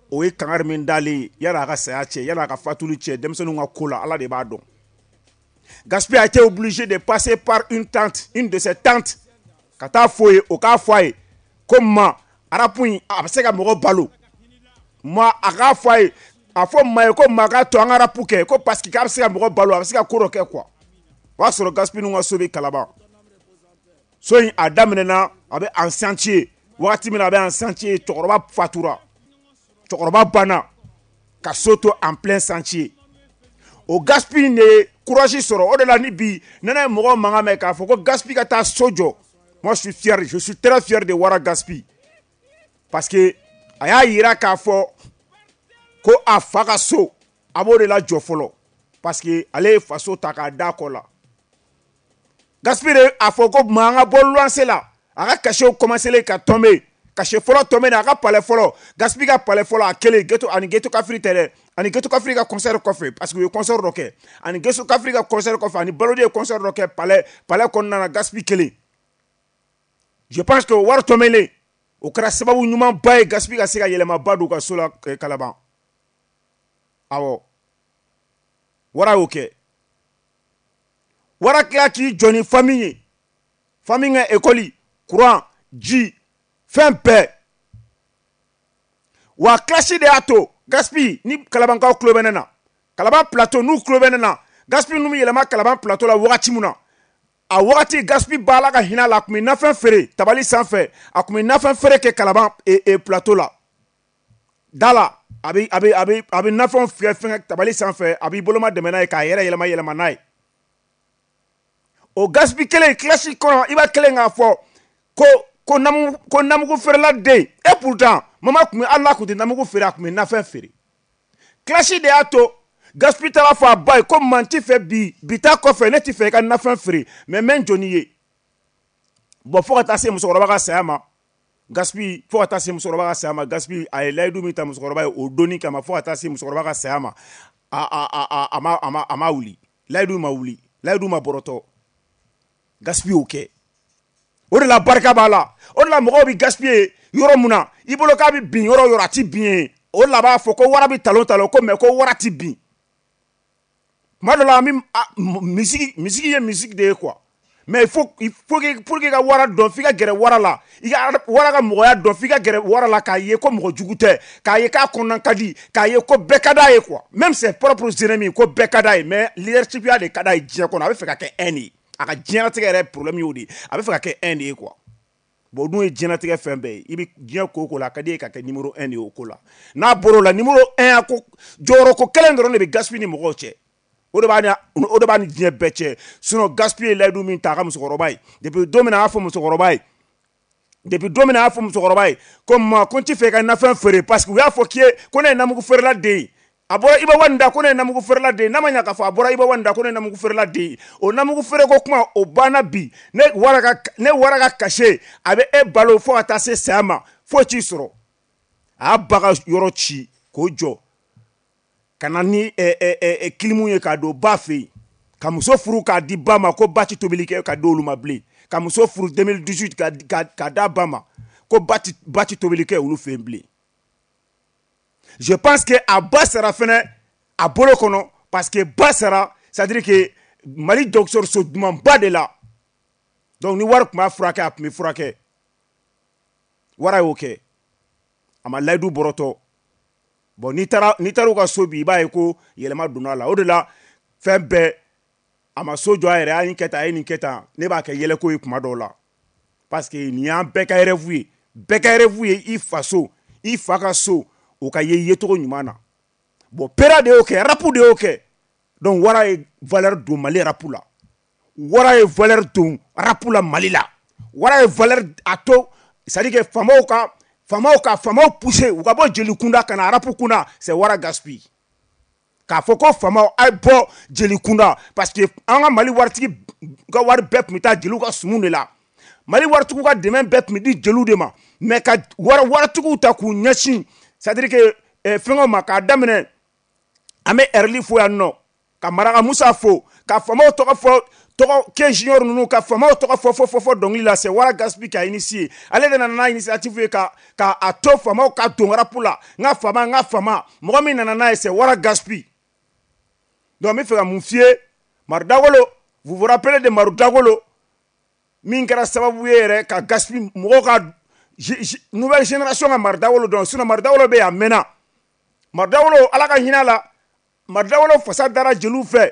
Speaker 2: o ye kangari min dalen ye yan'a ka saya cɛ, yan'a ka fatuli cɛ, denmisɛnninw ka ko la Ala de b'a dɔn. Gaspi a été obligé de passer par une tante, une de ses tantes, ka taa fɔ ye, o k'a fɔ a ye ko ma rap in a bɛ se ka mɔgɔ balo, ma a k'a fɔ a ye, a fɔ maa ye ko maa k'a to an ka rap kɛ, ko parce que k'a bɛ se ka mɔgɔ balo, a bɛ se ka ko dɔ kɛ quoi. O y'a sɔrɔ Gaspi ninnu ka so bɛ Kalaban. So in a daminɛna a bɛ en chantier, wagati min na a bɛ en chantier, cɛkɔrɔba fatura, cɛkɔrɔba banna ka so to en plein chantier. O Gaspi de ye courage sɔrɔ, o de la ni bi nɛnɛ ye mɔgɔw mankan mɛn k'a fɔ ko Gaspi ka taa so jɔ. Moi je suis fier, je suis très fier de Wara Gaspi, parce que a y'a yira k'a fɔ ko a fa ka so a b'o de la jɔ fɔlɔ, parce que ale ye faso ta k'a da kɔ la. Gaspi de a fɔ ko maa an ka bɔ luwanse la, a ka cachet commencé ka tomber, cachet fɔlɔ tombé a ka palais fɔlɔ, Gaspi ka palais fɔlɔ a kelen ghetto, ani Ghetto Kafri tɛ dɛ, ani Ghetto Kafri ka concert kɔfɛ, parce que u ye concert dɔ kɛ, ani Ghetto Kafri ka concert kɔfɛ, ani Balodi ye concert dɔ kɛ palais palais kɔnɔna na, Gaspi kelen. Je pense que o wari tombélen o kɛra sababu ɲumanba ye Gaspi ka se ka yɛlɛmaba don u ka so la Kalaban. Awɔ, wara y'o kɛ. Wara tila k'i jɔ ni famille ye, famille ka école, courant, ji, fɛn bɛɛ. Wa classe de y'a to Gaspi ni Kalabankaw tulo bɛ ne na, Kalaban plateau n'u tulo bɛ ne na, Gaspi ninnu bɛ yɛlɛma Kalaban plateau la wagati min na, a wagati Gaspi b'a la ka hinɛ la, a tun bɛ nafɛn feere tabali sanfɛ, a tun bɛ nafɛn feere kɛ Kalaban e, e, plateau la da la, a bɛ a bɛ a bɛ a bɛ nafɛnw fiyɛ fɛngɛ tabali sanfɛ, a b'i boloma dɛmɛ n'a ye k'a yɛrɛ yɛlɛma yɛlɛma n'a ye. O Gaspi kelen classe kɔnɔ, i b'a kelen k'a fɔ ko ko namu ko namugu feerela den, et pourtant mama tun bɛ hali n'a tun tɛ namugu feere, a tun bɛ nafɛn feere. Classe de y'a to Gaspi taara fɔ a ba ye ko man ti fɛ bi bi ta kɔfɛ ne ti fɛ i ka nafɛn feere, mais n bɛ n jɔ n'i ye. Bon, fo ka taa se musokɔrɔba ka saya ma, Gaspi fo ka taa se musokɔrɔba ka saya ma, Gaspi a ye layidu min ta musokɔrɔba ye o donni kama, fo ka taa se musokɔrɔba ka saya ma, a a a a ma a ma a ma wuli. Layidu ma wuli, layidu ma bɔrɔtɔ. Gaspi y'o kɛ. O de la barika b'a la. O de la mɔgɔw bɛ Gaspi ye yɔrɔ mun na, i bolo k'a bɛ bin yɔrɔ o yɔrɔ, a ti bin yen. O de la a b'a fɔ ko wara bɛ talon talon ko mais ko wara ti bin. Tuma dɔ la an bɛ musique, musique ye musique de ye quoi. Mais il faut, il faut que, pour que i ka wara dɔn, f'i ka gɛrɛ wara la. I ka wara ka mɔgɔya dɔn, f'i ka gɛrɛ wara la k'a ye ko mɔgɔ jugu tɛ, k'a ye k'a kɔnɔna ka di, k'a ye ko bɛɛ ka d'a ye quoi. Même ses propres ennemis, ko bɛɛ ka d'a ye, mais leadership ya de ka d'a ye diɲɛ kɔnɔ. A bɛ fɛ ka kɛ un de ye. A ka diɲɛlatigɛ yɛrɛ problème y'o de ye. A bɛ fɛ ka kɛ un de ye quoi. Bon, o dun ye diɲɛlatigɛ fɛn bɛɛ ye. I bɛ diɲɛ ko o ko la, a ka di e ka kɛ numéro un de ye o ko la. N'a bɔr'o la, numéro un ko jɔyɔrɔ ko kelen dɔrɔn de bɛ Gaspi ni mɔgɔw cɛ. O de b'a ni, o de b'a ni diɲɛ bɛɛ cɛ. Sinon Gaspi ye layidu min ta a ka musokɔrɔba ye, depuis don min na a y'a fɔ musokɔrɔba ye, depuis don min na a y'a fɔ musokɔrɔba ye ko ma ko n ti fɛ i ka nafɛn feere, parce que u y'a fɔ k'i ye ko ne ye namugu feerela den ye. A bɔra Iba Wani da ko ne ye namugu feerela den ye. N'a ma ɲɛ k'a fɔ a bɔra Iba Wani da ko ne ye namugu feerela den ye, o namugu feereko kuma o banna bi. Ne wara ka, ne wara ka cachet a bɛ e balo fo ka taa se saya ma, foyi t'i sɔrɔ. A y'a ba ka yɔrɔ ci k'o jɔ ka na ni kilimu ye k'a don ba fɛ yen, ka muso furu k'a di ba ma ko ba ti tobili kɛ ka di olu ma bilen, ka muso furu deux mille dix-huit ka ka d'a ba ma ko ba ti ba ti tobili kɛ olu fɛ yen bilen. Je pense que a ba sara fɛnɛ a bolo kɔnɔ, parce que ba sara, c'est à dire que Mali dɔgɔtɔrɔso dumanba de la. Donc ni wari tun b'a furakɛ, a tun bɛ furakɛ. Wara y'o kɛ, a ma layidu bɔrɔtɔ. Bon, n'i taara n'i taara u ka so bi, i b'a ye ko yɛlɛma donna a la. O de la fɛn bɛɛ, a ma so jɔ a yɛrɛ, a ye nin kɛ tan, a ye nin kɛ tan. Ne b'a kɛ yɛlɛko ye kuma dɔw la, parce que nin y'an bɛɛ ka rêve ye. Bɛɛ ka rêve ye i faso, i fa ka so, o ka ye yecogo ɲuman na. Bon, pera de y'o kɛ, rap de y'o kɛ. Donc wara ye valeur don Mali rap la. Wara ye valeur don rap la Mali la. Wara ye valeur a to, c'est à dire que faamaw ka faamaw ka faamaw pousser u ka bɔ jeli kunda ka na rap kunda, c'est Wara Gaspi. K'a fɔ ko faamaw a ye bɔ jeli kunda, parce que an ka Mali waritigi ka wari bɛɛ tun bɛ taa jeliw ka sumu de la. Mali waritigiw ka dɛmɛ bɛɛ tun bɛ di jeliw de ma, mais ka wari waritigiw ta k'u ɲɛsin, c'est à dire que fɛngɛw ma, k'a daminɛ an bɛ Ɛrili fo yan nɔ, ka Maraka Musa fo, ka faamaw tɔgɔ fɔ, tɔgɔ Ke Junior ninnu, ka faamaw tɔgɔ fɔ fɔ fɔ fɔ dɔnkili la. C'est Wara Gaspi qui a initié. Ale de nana n'a initiative ye ka ka a to faamaw ka don rap la. N ka faama, n ka faama, mɔgɔ min nana n'a ye, c'est Wara Gaspi. Donc n bɛ fɛ ka mun f'i ye, Maru Dagolo, vous vous rappelez de Maru Dagolo min kɛra sababu ye yɛrɛ ka Gaspi mɔgɔw ka nouvelle génération ka Maru Dagolo dɔn. Sinon Maru Dagolo bɛ yen a mɛnna. Maru Dagolo, Ala ka hinɛ a la, Maru Dagolo fasa dara jeliw fɛ,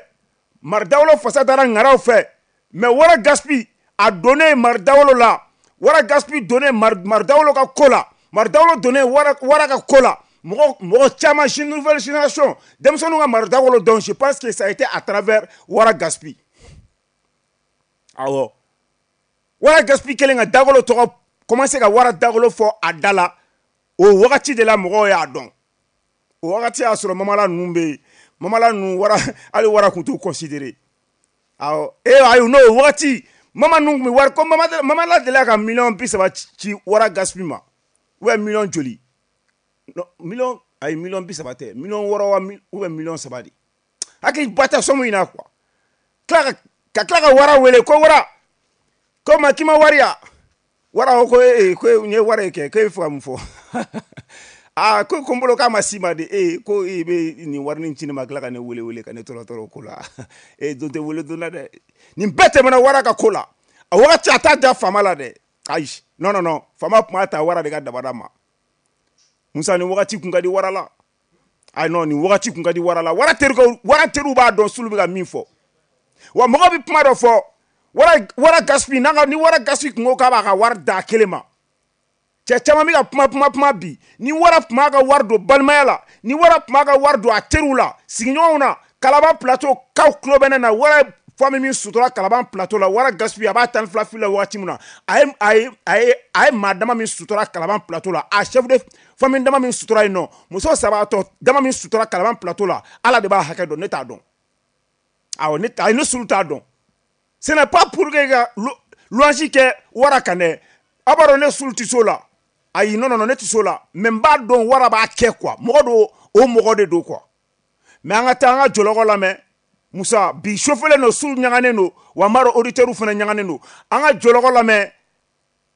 Speaker 2: Maru Dagolo fasa dara ŋaraw fɛ, mais Wara Gaspi a donnen Maru Dagolo la, Wara Gaspi donnen Maru Dagolo ka ko la, Maru Dagolo donnen Wara Wara ka ko la, mɔgɔ mɔgɔ caman, nouvelle génération denmisɛnninw ka Maru Dagolo dɔn. Je pense que ça a été à travers Wara Gaspi. Awɔ, Wara Gaspi kɛlen ka Dagolo tɔgɔ commencé ka Wara Dagolo fɔ a da la, o wagati de la mɔgɔw y'a dɔn. O wagati y'a sɔrɔ Mamala ninnu bɛ yen, Mamala ninnu wara hali wara tun t'u considéré. Awɔ, e ayi n'o wagati Mama ninnu tun bɛ wari ko Mama Mamala delila ka miliyɔn bi saba ci Wara Gaspi ma, ou bien miliyɔn joli, non miliyɔn, ayi miliyɔn bi saba tɛ, miliyɔn wɔɔrɔ wa ou bien miliyɔn saba de, hakili ba tɛ somme in na quoi. Tila ka ka tila ka Wara wele ko Wara ko ma k'i ma wari ya, Wara ko ee ko n ye wari kɛ, ko e bɛ fɛ ka mun fɔ? Aa ko ko n bolo k'a ma s'i ma de, ee ko i bɛ nin wari nin ci ne ma, tila ka ne wele wele ka ne tɔɔrɔ tɔɔrɔ ko la. E don tɛ wele don la dɛ, nin bɛɛ tɛmɛna Wara ka ko la. A wagati a t'a da faama la dɛ, ayi non non non, faama tun b'a ta Wara de ka dabada ma. Musa, nin wagati kun ka di Wara la. Ayi non, nin wagati kun ka di Wara la. Wara terikɛw, Wara teriw b'a dɔn Sulu bɛ ka min fɔ. Wa mɔgɔ bɛ kuma dɔ fɔ, Wara Wara Gaspi n'a ka ni Wara Gaspi kun ko k'a b'a ka wari d'a kelen ma, cɛ caman bɛ ka kuma kuma kuma bi. Ni Wara tun b'a ka wari don balimaya la, ni Wara tun b'a ka wari don a teriw la, sigiɲɔgɔnw na, Kalaban Plateau kaw tulo bɛ ne na, Wara famille min sutura Kalaban Plateau la, Wara Gaspi a b'a tan ni fila fili la wagati min na, a ye a ye a ye a ye maa dama min sutura Kalaban Plateau la, a chef de famille dama min sutura yen nɔ, muso saba tɔ dama min sutura Kalaban Plateau la, Ala de b'a hakɛ dɔn, ne t'a dɔn. Awɔ, ne ayi ne Sulu t'a dɔn. Ce n'est pas pour que ka louange kɛ Wara kan dɛ, aw b'a dɔn ne Sulu tɛ s'o la. Ayi non non non, ne tɛ s'o la, mais n b'a dɔn Wara b'a kɛ quoi, mɔgɔ don, o mɔgɔ de don quoi. Mais an ka taa an ka jɔlɔkɔ lamɛn. Musa bi chauffelen don, su ɲaganen don, wa n b'a dɔn auditeurs fana ɲaganen don. An ka jɔlɔkɔ lamɛn.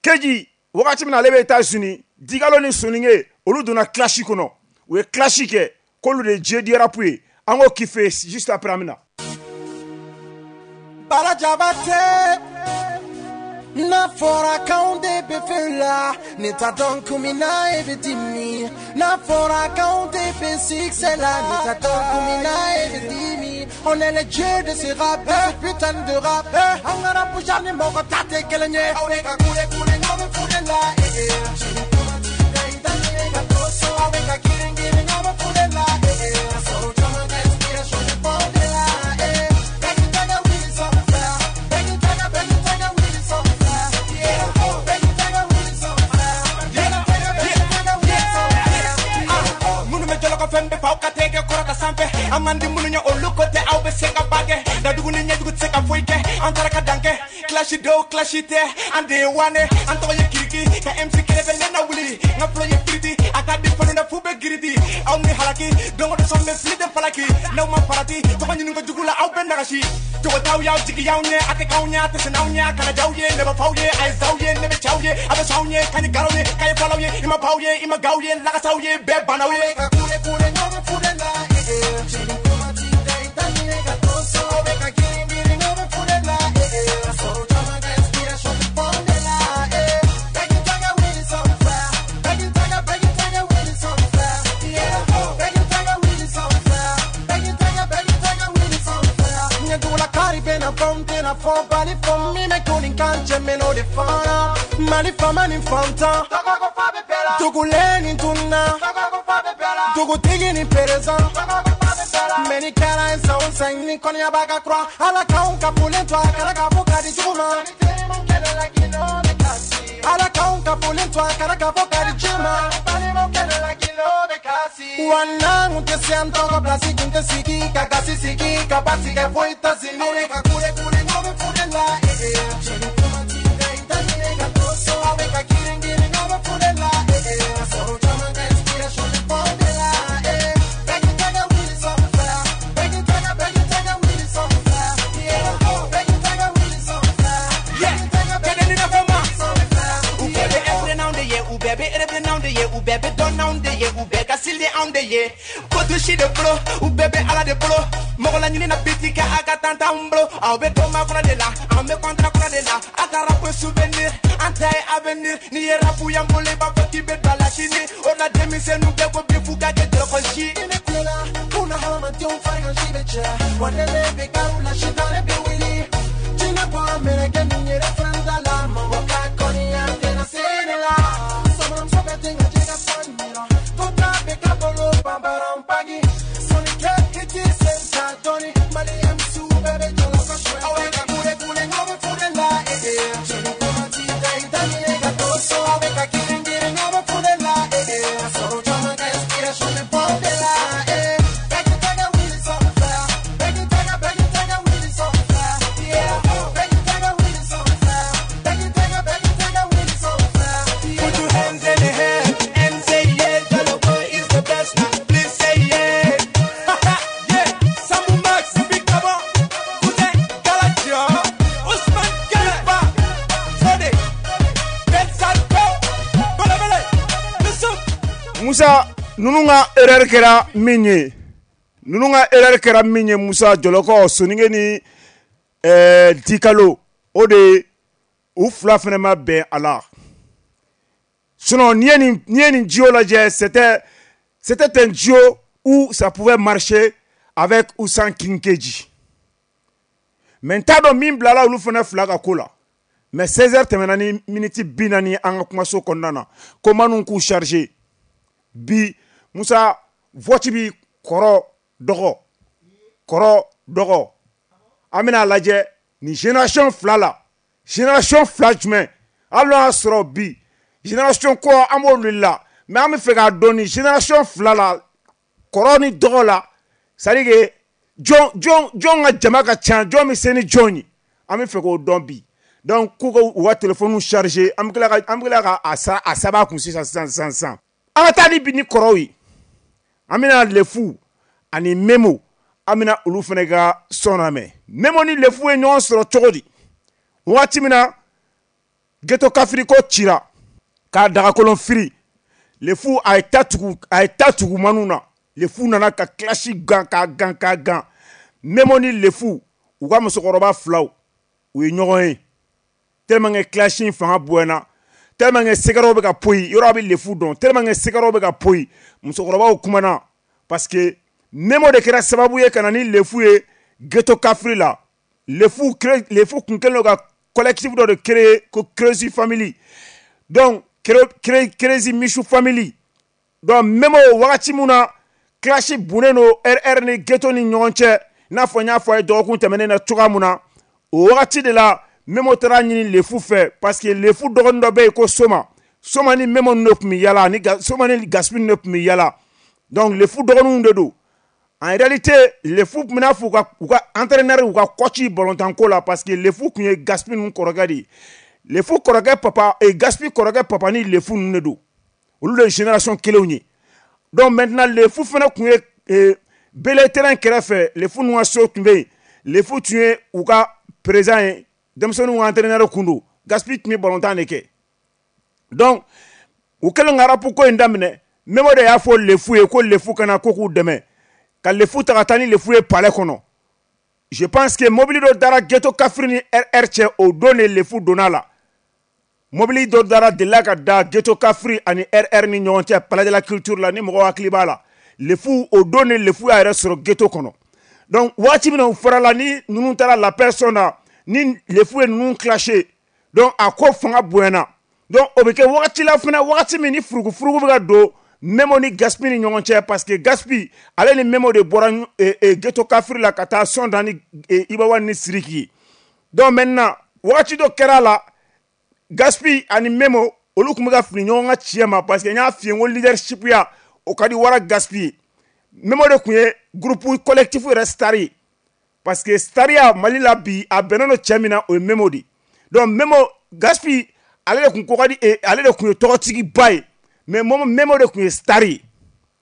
Speaker 2: Keji wagati min na ale bɛ États-Unis, Digalo ni Soninge olu donna clash kɔnɔ, u ye clash kɛ k'olu de ye dieu du rap ye. An k'o kiffe juste après an bɛ na.
Speaker 8: Balajabate n'a fɔra k'anw de bɛ feu la, ne t'a dɔn kun min na e bɛ dimi. N'a fɔra k'anw de bɛ succès la, ne t'a dɔn kun min na e bɛ dimi. On est les dieux de ce rap, de ce putain de rap. An ka rap genre ni mɔgɔ ta tɛ kelen ye. Aw bɛ ka kule kule, n'aw bɛ fure la, eh eh. Aw bɛ ka girin girin, n'aw bɛ fure la, eh eh. Ka sɔrɔ caman ka inspiration bɛ bɔ de la, eh. Bɛɛ k'i tɛgɛ wuli sanfɛ, bɛɛ k'i tɛgɛ, bɛɛ k'i tɛgɛ wuli sanfɛ, yeah. Bɛɛ k'i tɛgɛ wuli sanfɛ, bɛɛ k'i tɛgɛ, bɛɛ k'i tɛgɛ wuli sanfɛ.
Speaker 9: Ah, minnu bɛ jɔlɔkɔ fɛn bɛɛ fa aw ka tɛgɛ kɔrɔta sanfɛ. An man di minnu ye olu ko tɛ, aw bɛ se ka ba kɛ. Dadugu ni ɲɛjugu tɛ se ka foyi kɛ, an taara ka dan kɛ. Clash dɔw clash tɛ, an de ye wane. An tɔgɔ ye kiriki, ka M C kelen bɛ ne na wuli. N ka flow ye kiriti, a ka di fɛnw na f'u bɛ giridi. Aw ni halaki, don o don sɔn bɛ fili de falaki. N'aw ma farati, tɔgɔ ɲini ko jugu la aw bɛ nagasi. Jogo t'aw y'aw jigi y'aw ɲɛ, a tɛ k'aw ɲɛ, a tɛ sɛnɛ aw ɲɛ, a kana j'aw ye, ne b'a f'aw ye, a ye z'aw ye, ne bɛ c'aw ye, a bɛ s'aw ɲɛ, ka ni garaw ye, ka ye falaw ye, i ma baw ye, i ma gaw ye, lakasaw ye, bɛɛ bannaw ye.
Speaker 8: Ka kule kule, n'aw bɛ fure la, eh eh. Cɛni kuma t'i da, i t'a ɲini ka to so. Aw bɛ ka girin girin, n'aw bɛ fure la, eh eh. Ka sɔrɔ caman ka inspiration bɛ bɔ de la, eh. Bɛɛ k'i tɛgɛ wuli sanfɛ, bɛɛ k'i tɛgɛ, bɛɛ k'i tɛgɛ wuli sanfɛ, yeah. Bɛɛ k'i tɛgɛ wuli sanfɛ, bɛɛ k'i tɛgɛ, bɛɛ k'i tɛgɛ wuli sanfɛ. Ɲɛdugula kari bɛ na fɔ n tɛna fɔ bali fɔ min bɛ ko nin kan cɛ mɛ n'o de fana. Mali faama ni fantan, tɔgɔko fa bɛ bɛɛ la. Dugulen ni tunna, tɔgɔko fa bɛ bɛɛ la. Dugutigi ni perezan, tɔgɔko fa bɛ bɛɛ la. Mɛ ni kɛra ye san o san ni kɔniya b'a ka kura. Ala k'anw ka folen to a kɛra k'a fɔ ka di jugu ma. Ala k'anw ka folen to a kɛra k'a fɔ ka di ji ma. Wa n'an kun tɛ se an tɔgɔ pilasi kun tɛ sigi ka gasi sigi ka basi kɛ foyi tɛ sini. Aw bɛ ka kule kule, n'aw bɛ fure la, eh eh. Cɛni kuma t'i da, i t'a ɲini ka to so. Aw bɛ ka girin girin, n'aw bɛ fure la, eh eh. Ka sɔrɔ caman ka inspiration bɛ bɔ de la, eh. Bɛɛ k'i tɛgɛ wuli sanfɛ, bɛɛ k'i tɛgɛ, bɛɛ k'i tɛgɛ wuli sanfɛ, yeah. Bɛɛ k'i tɛgɛ wuli sanfɛ, bɛɛ k'i tɛgɛ, bɛɛ k'i tɛgɛ wuli sanfɛ,
Speaker 9: U bɛɛ bɛ ɛfɛ n'anw de ye, u bɛɛ bɛ erebe n'anw de ye, u bɛɛ bɛ dɔn n'anw de ye, u bɛɛ ka sili anw de ye. Ko tu si de bolo, u bɛɛ bɛ Ala de bolo. Mɔgɔ la ɲini na biti kɛ a ka tan t'anw bolo. Aw bɛ dɔn ma kɔnɔ de la, an bɛ kɔntara kɔnɔ de la. A ka rap souvenir, an ta ye avenir. N'i ye rap y'an bolo, i b'a fɔ k'i bɛ don a la sini. O la denmisɛnninw bɛɛ ko bi f'u ka kɛ dɔrɔgɔ si.
Speaker 8: Ni ne kulela, kuna hadamadenw farigan si bɛ cɛ. Wa ne ne bɛ kariw la, sitanɛ bɛ wuli. Jinɛ bɔra mɛlɛkɛ min yɛrɛ fɛn t'a la. Mɔgɔ ka kɔniya tɛna se ne la. Sɔmɔmuso bɛ ten ka jɛgɛ fan yira. To ta bɛ ka bolo banbaran pagi. Sɔnnikɛ i t'i sen ta dɔɔni. Mali M C bɛɛ bɛ jɔlɔ ka suɲɛ. Aw bɛ ka kule kule, n'aw bɛ fure la, eh eh. Cɛni kuma t'i da, i t'a ɲini ka to so. Aw bɛ ka girin girin, n'aw bɛ fure la, eh eh. Ka sɔrɔ caman ka inspiration bɛ bɔ de la, eh. Bɛɛ k'i tɛgɛ wuli sanfɛ, bɛɛ k'i tɛgɛ, bɛɛ k'i tɛgɛ wuli sanfɛ, yeah. Bɛɛ k'i tɛgɛ wuli sanfɛ, bɛɛ k'i tɛgɛ, bɛɛ k'i tɛgɛ wuli sanfɛ, yeah.
Speaker 9: Put your hands in the air and say yeah, Joloko is the best now. Please say yeah. Yeah, Sambu Max, Big Kaba, Kute, Galatia, Ousmane Kalifa, Fode, Ben Sarko, Bele Bele, Yusuf.
Speaker 2: Musa, ninnu ka erreur kɛra min ye, ninnu ka erreur kɛra min ye, Musa Jɔlɔkɔ, Soninge ni ɛɛ Dikalo, o de ye u fila fana ma bɛn a la. Sinon n'i ye nin n'i ye nin duo lajɛ, c'était c'était un duo où ça pouvait marcher avec ou sans King Keji. Mais n t'a dɔn min bilala olu fana fila ka ko la. Mais seize heures tɛmɛna ni miniti bi naani an ka kumaso kɔnɔna na, ko minnu k'u chargé bi. Musa, vote bi kɔrɔ dɔgɔ kɔrɔ dɔgɔ, an bɛna lajɛ nin génération fila la, génération fila jumɛn, hali n'o y'a sɔrɔ bi génération kɔ an b'olu la, mais an bɛ fɛ k'a dɔn nin génération fila la, kɔrɔ ni dɔgɔ la, c'est à dire que jɔn jɔn jɔn ka jama ka ca, jɔn bɛ se ni jɔn ye, an bɛ fɛ k'o dɔn bi. Donc k'u ka u ka téléphone chargé, an bɛ tila ka an bɛ tila ka a sa a saba kun sisan sisan sisan sisan. An ka taa ni bi ni kɔrɔw ye, an bɛna Lefu ani Memo, An bɛna olu fana ka son lamɛn. Memo ni Lefu ye ɲɔgɔn sɔrɔ cogo di? Waati min na Ghetto Kafri ko cira k'a dagakolon firi, Lefu a ye ta tugu a ye ta tugu manu na. Lefu nana ka clash gan k'a gan k'a gan. Memo ni Lefu u ka musokɔrɔba filaw u ye ɲɔgɔn ye tellement que clash in fanga bonyana, tellement que sɛgɛrɛw bɛ ka poyi, yɔrɔ a bɛ Lefu dɔn, tellement que sɛgɛrɛw bɛ ka poyi, musokɔrɔbaw kumana parce que Memo de kɛra sababu ye ka na ni Lefu ye Ghetto Kafri la. Lefu Lefu kun kɛlen don ka collectif dɔ de créer ko Crazy Family, donc Crazy Michou Family. Donc Memo wagati mun na clash bunnen don R R ni Ghetto ni ɲɔgɔn cɛ, i n'a fɔ n y'a fɔ a ye dɔgɔkun tɛmɛnen na cogoya mun na, o wagati de la Memo taara ɲini Lefu fɛ parce que Lefu dɔgɔnin dɔ bɛ yen ko Soma. Soma ni Memo ninnu de tun bɛ yala, ani Soma ni Gaspi ninnu de tun bɛ yala. Donc Lefu dɔgɔninw de don. En réalité, Lefu tun bɛna fɔ u ka u ka entraîneur u ka coach balontanko la parce que Lefu tun ye Gaspi ninnu kɔrɔkɛ de ye. Lefu kɔrɔkɛ papa et Gaspi kɔrɔkɛ papa ni Lefu ninnu de don. Olu de ye génération kelenw ye. Donc maintenant Lefu fana tun ye bele terrain kɛrɛfɛ, Lefu ninnu ka so tun bɛ yen. Lefu tun ye u ka président ye, denmisɛnninw ka entraîneur kun don. Gaspi tun bɛ balontan de kɛ. Donc u kɛlen ka rap ko in daminɛ, Memo de y'a fɔ Lefu ye ko Lefu kana ko k'u dɛmɛ. Ka Lefu ta ka taa ni Lefu ye palais kɔnɔ. Je pense que mobili dɔ dara Ghetto Kafri ni R R cɛ, o don de Lefu donna la. Mobili dɔ dara delila ka da Ghetto Kafri ani R R ni ɲɔgɔn cɛ palais de la culture la, ni mɔgɔw hakili b'a la. Lefu o don de Lefu y'a yɛrɛ sɔrɔ Ghetto kɔnɔ. Donc waati min na u farala ni ninnu taara la personne na, ni Lefu ye ninnu clashé, donc a ko fanga bonyana. Donc o bɛ kɛ wagati la fana, wagati min ni furugufurugu bɛ ka don Memo ni Gaspi ni ɲɔgɔn cɛ parce que Gaspi ale ni Memo de bɔra Ghetto Kafri la ka taa son da ni Ibawa ni Siriki ye. Donc maintenant wagati dɔ kɛra la, Gaspi ani Memo olu tun bɛ ka fili ɲɔgɔn ka tiɲɛ ma parce que n y'a f'i ye n ko leadership ya o ka di Wara Gaspi ye. Memo de tun ye groupe collectif yɛrɛ star ye parce que stariya Mali la bi a bɛnnen don cɛ min na o ye Memo de. Donc Memo Gaspi ale de tun ko ka di, ale de tun ye tɔgɔtigiba ye. Mais Memo de tun ye star ye.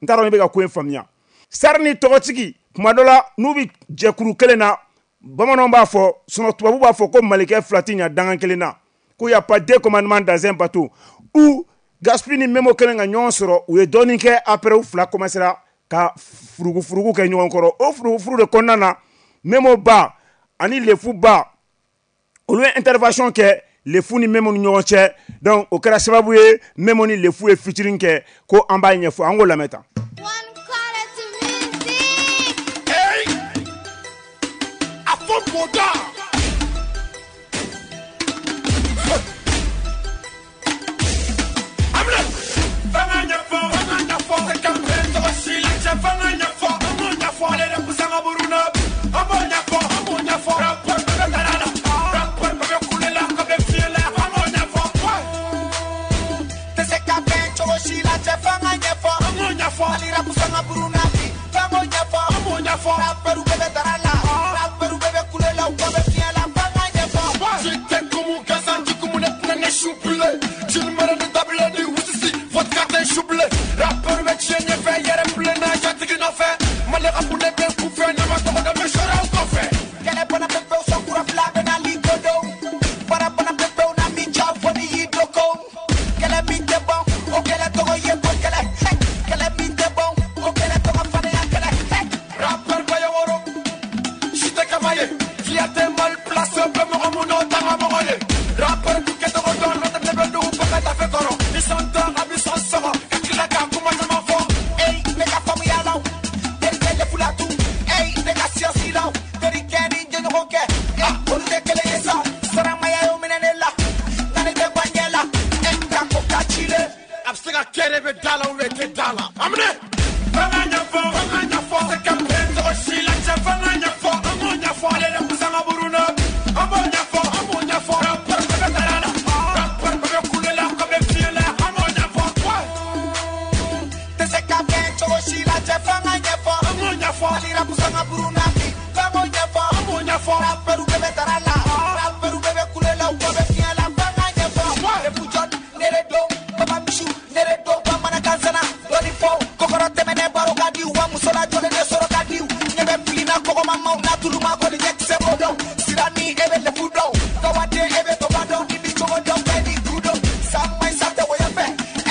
Speaker 2: N t'a dɔn ne bɛ ka ko in faamuya. Star ni tɔgɔtigi kuma dɔ la n'u bɛ jɛkuru kelen na, bamananw b'a fɔ, sinon tubabu b'a fɔ ko malikɛ fila tɛ ɲa dangan kelen na, ko y a pas deux commandements dans un bateau. Ou Gaspi ni Memo kelen ka ɲɔgɔn sɔrɔ, u ye dɔɔnin kɛ, après u fila commencera ka furugufurugu kɛ ɲɔgɔn kɔrɔ. O furugufuru de kɔnɔna na, Memo ba ani Lefu ba olu ye intervention kɛ Lefu ni Memo ni ɲɔgɔn cɛ. Donc o kɛra sababu ye Memo ni Lefu ye featuring kɛ ko an b'a ɲɛfɔ, an k'o lamɛn tan.
Speaker 5: Hey! A fɔ mɔda! Amina! Fanga ɲɛfɔ, fanga ɲɛfɔ, se ka bɛn tɔgɔ si la cɛ, fanga ɲɛfɔ, an b'o ɲɛfɔ, ale de busanga buruna, an b'o ɲɛfɔ, an b'o ɲɛfɔ, rapport bɛɛ bɛ tara la, rapport bɛɛ bɛ kule la, ka bɛ fiyɛ la, an b'o ɲɛfɔ.
Speaker 8: Tɛ se ka bɛn cogo si la cɛ, fanga ɲɛfɔ,
Speaker 5: an b'o ɲɛfɔ,
Speaker 8: ale de busanga buruna bi, f'an b'o ɲɛfɔ,
Speaker 5: an b'o ɲɛfɔ,
Speaker 8: rapport bɛɛ bɛ tara la, rapport bɛɛ bɛ kule la, u ka bɛ fiyɛ la, fanga ɲɛfɔ.
Speaker 5: J'étais comme un gazan, du coup mon ethnie n'est choublé. Tu ne me donnes d'abler ni wusisi, vodka t'es choublé. Rappeur bɛ tiɲɛ ɲɛfɛ, yɛrɛ bilenna, jatigi nɔfɛ. Mali ka kun ne bɛ kunfɛ, ne ma tɔgɔ da bɛ sɔrɔ aw kɔfɛ.
Speaker 8: Kɛlɛ bana pepew, sɔnkura fila bɛ na ligodo. Bara bana pepew na min ja fɔ ni y'i doko. Kɛlɛ min tɛ bɔn, o kɛlɛ tɔgɔ ye ko kɛlɛ. Kɛlɛ min tɛ bɔn, o kɛlɛ tɔgɔ fadenya kɛlɛ.
Speaker 5: Rappeur ba ye woro, si tɛ kaba ye. Fierté mal placé, bɛ mɔgɔ mun n'o tanga mɔgɔ ye. Rappeur du kɛcogo dɔn, n'o tɛ ne bɛ dugu bɛɛ ka tafe kɔrɔ.
Speaker 8: e bɛ lefu dɔn kawaden e bɛ baba dɔn ni bi cogo dɔn bɛɛ ni du dɔn san ma ɲi san tɛ wɔyɔ fɛ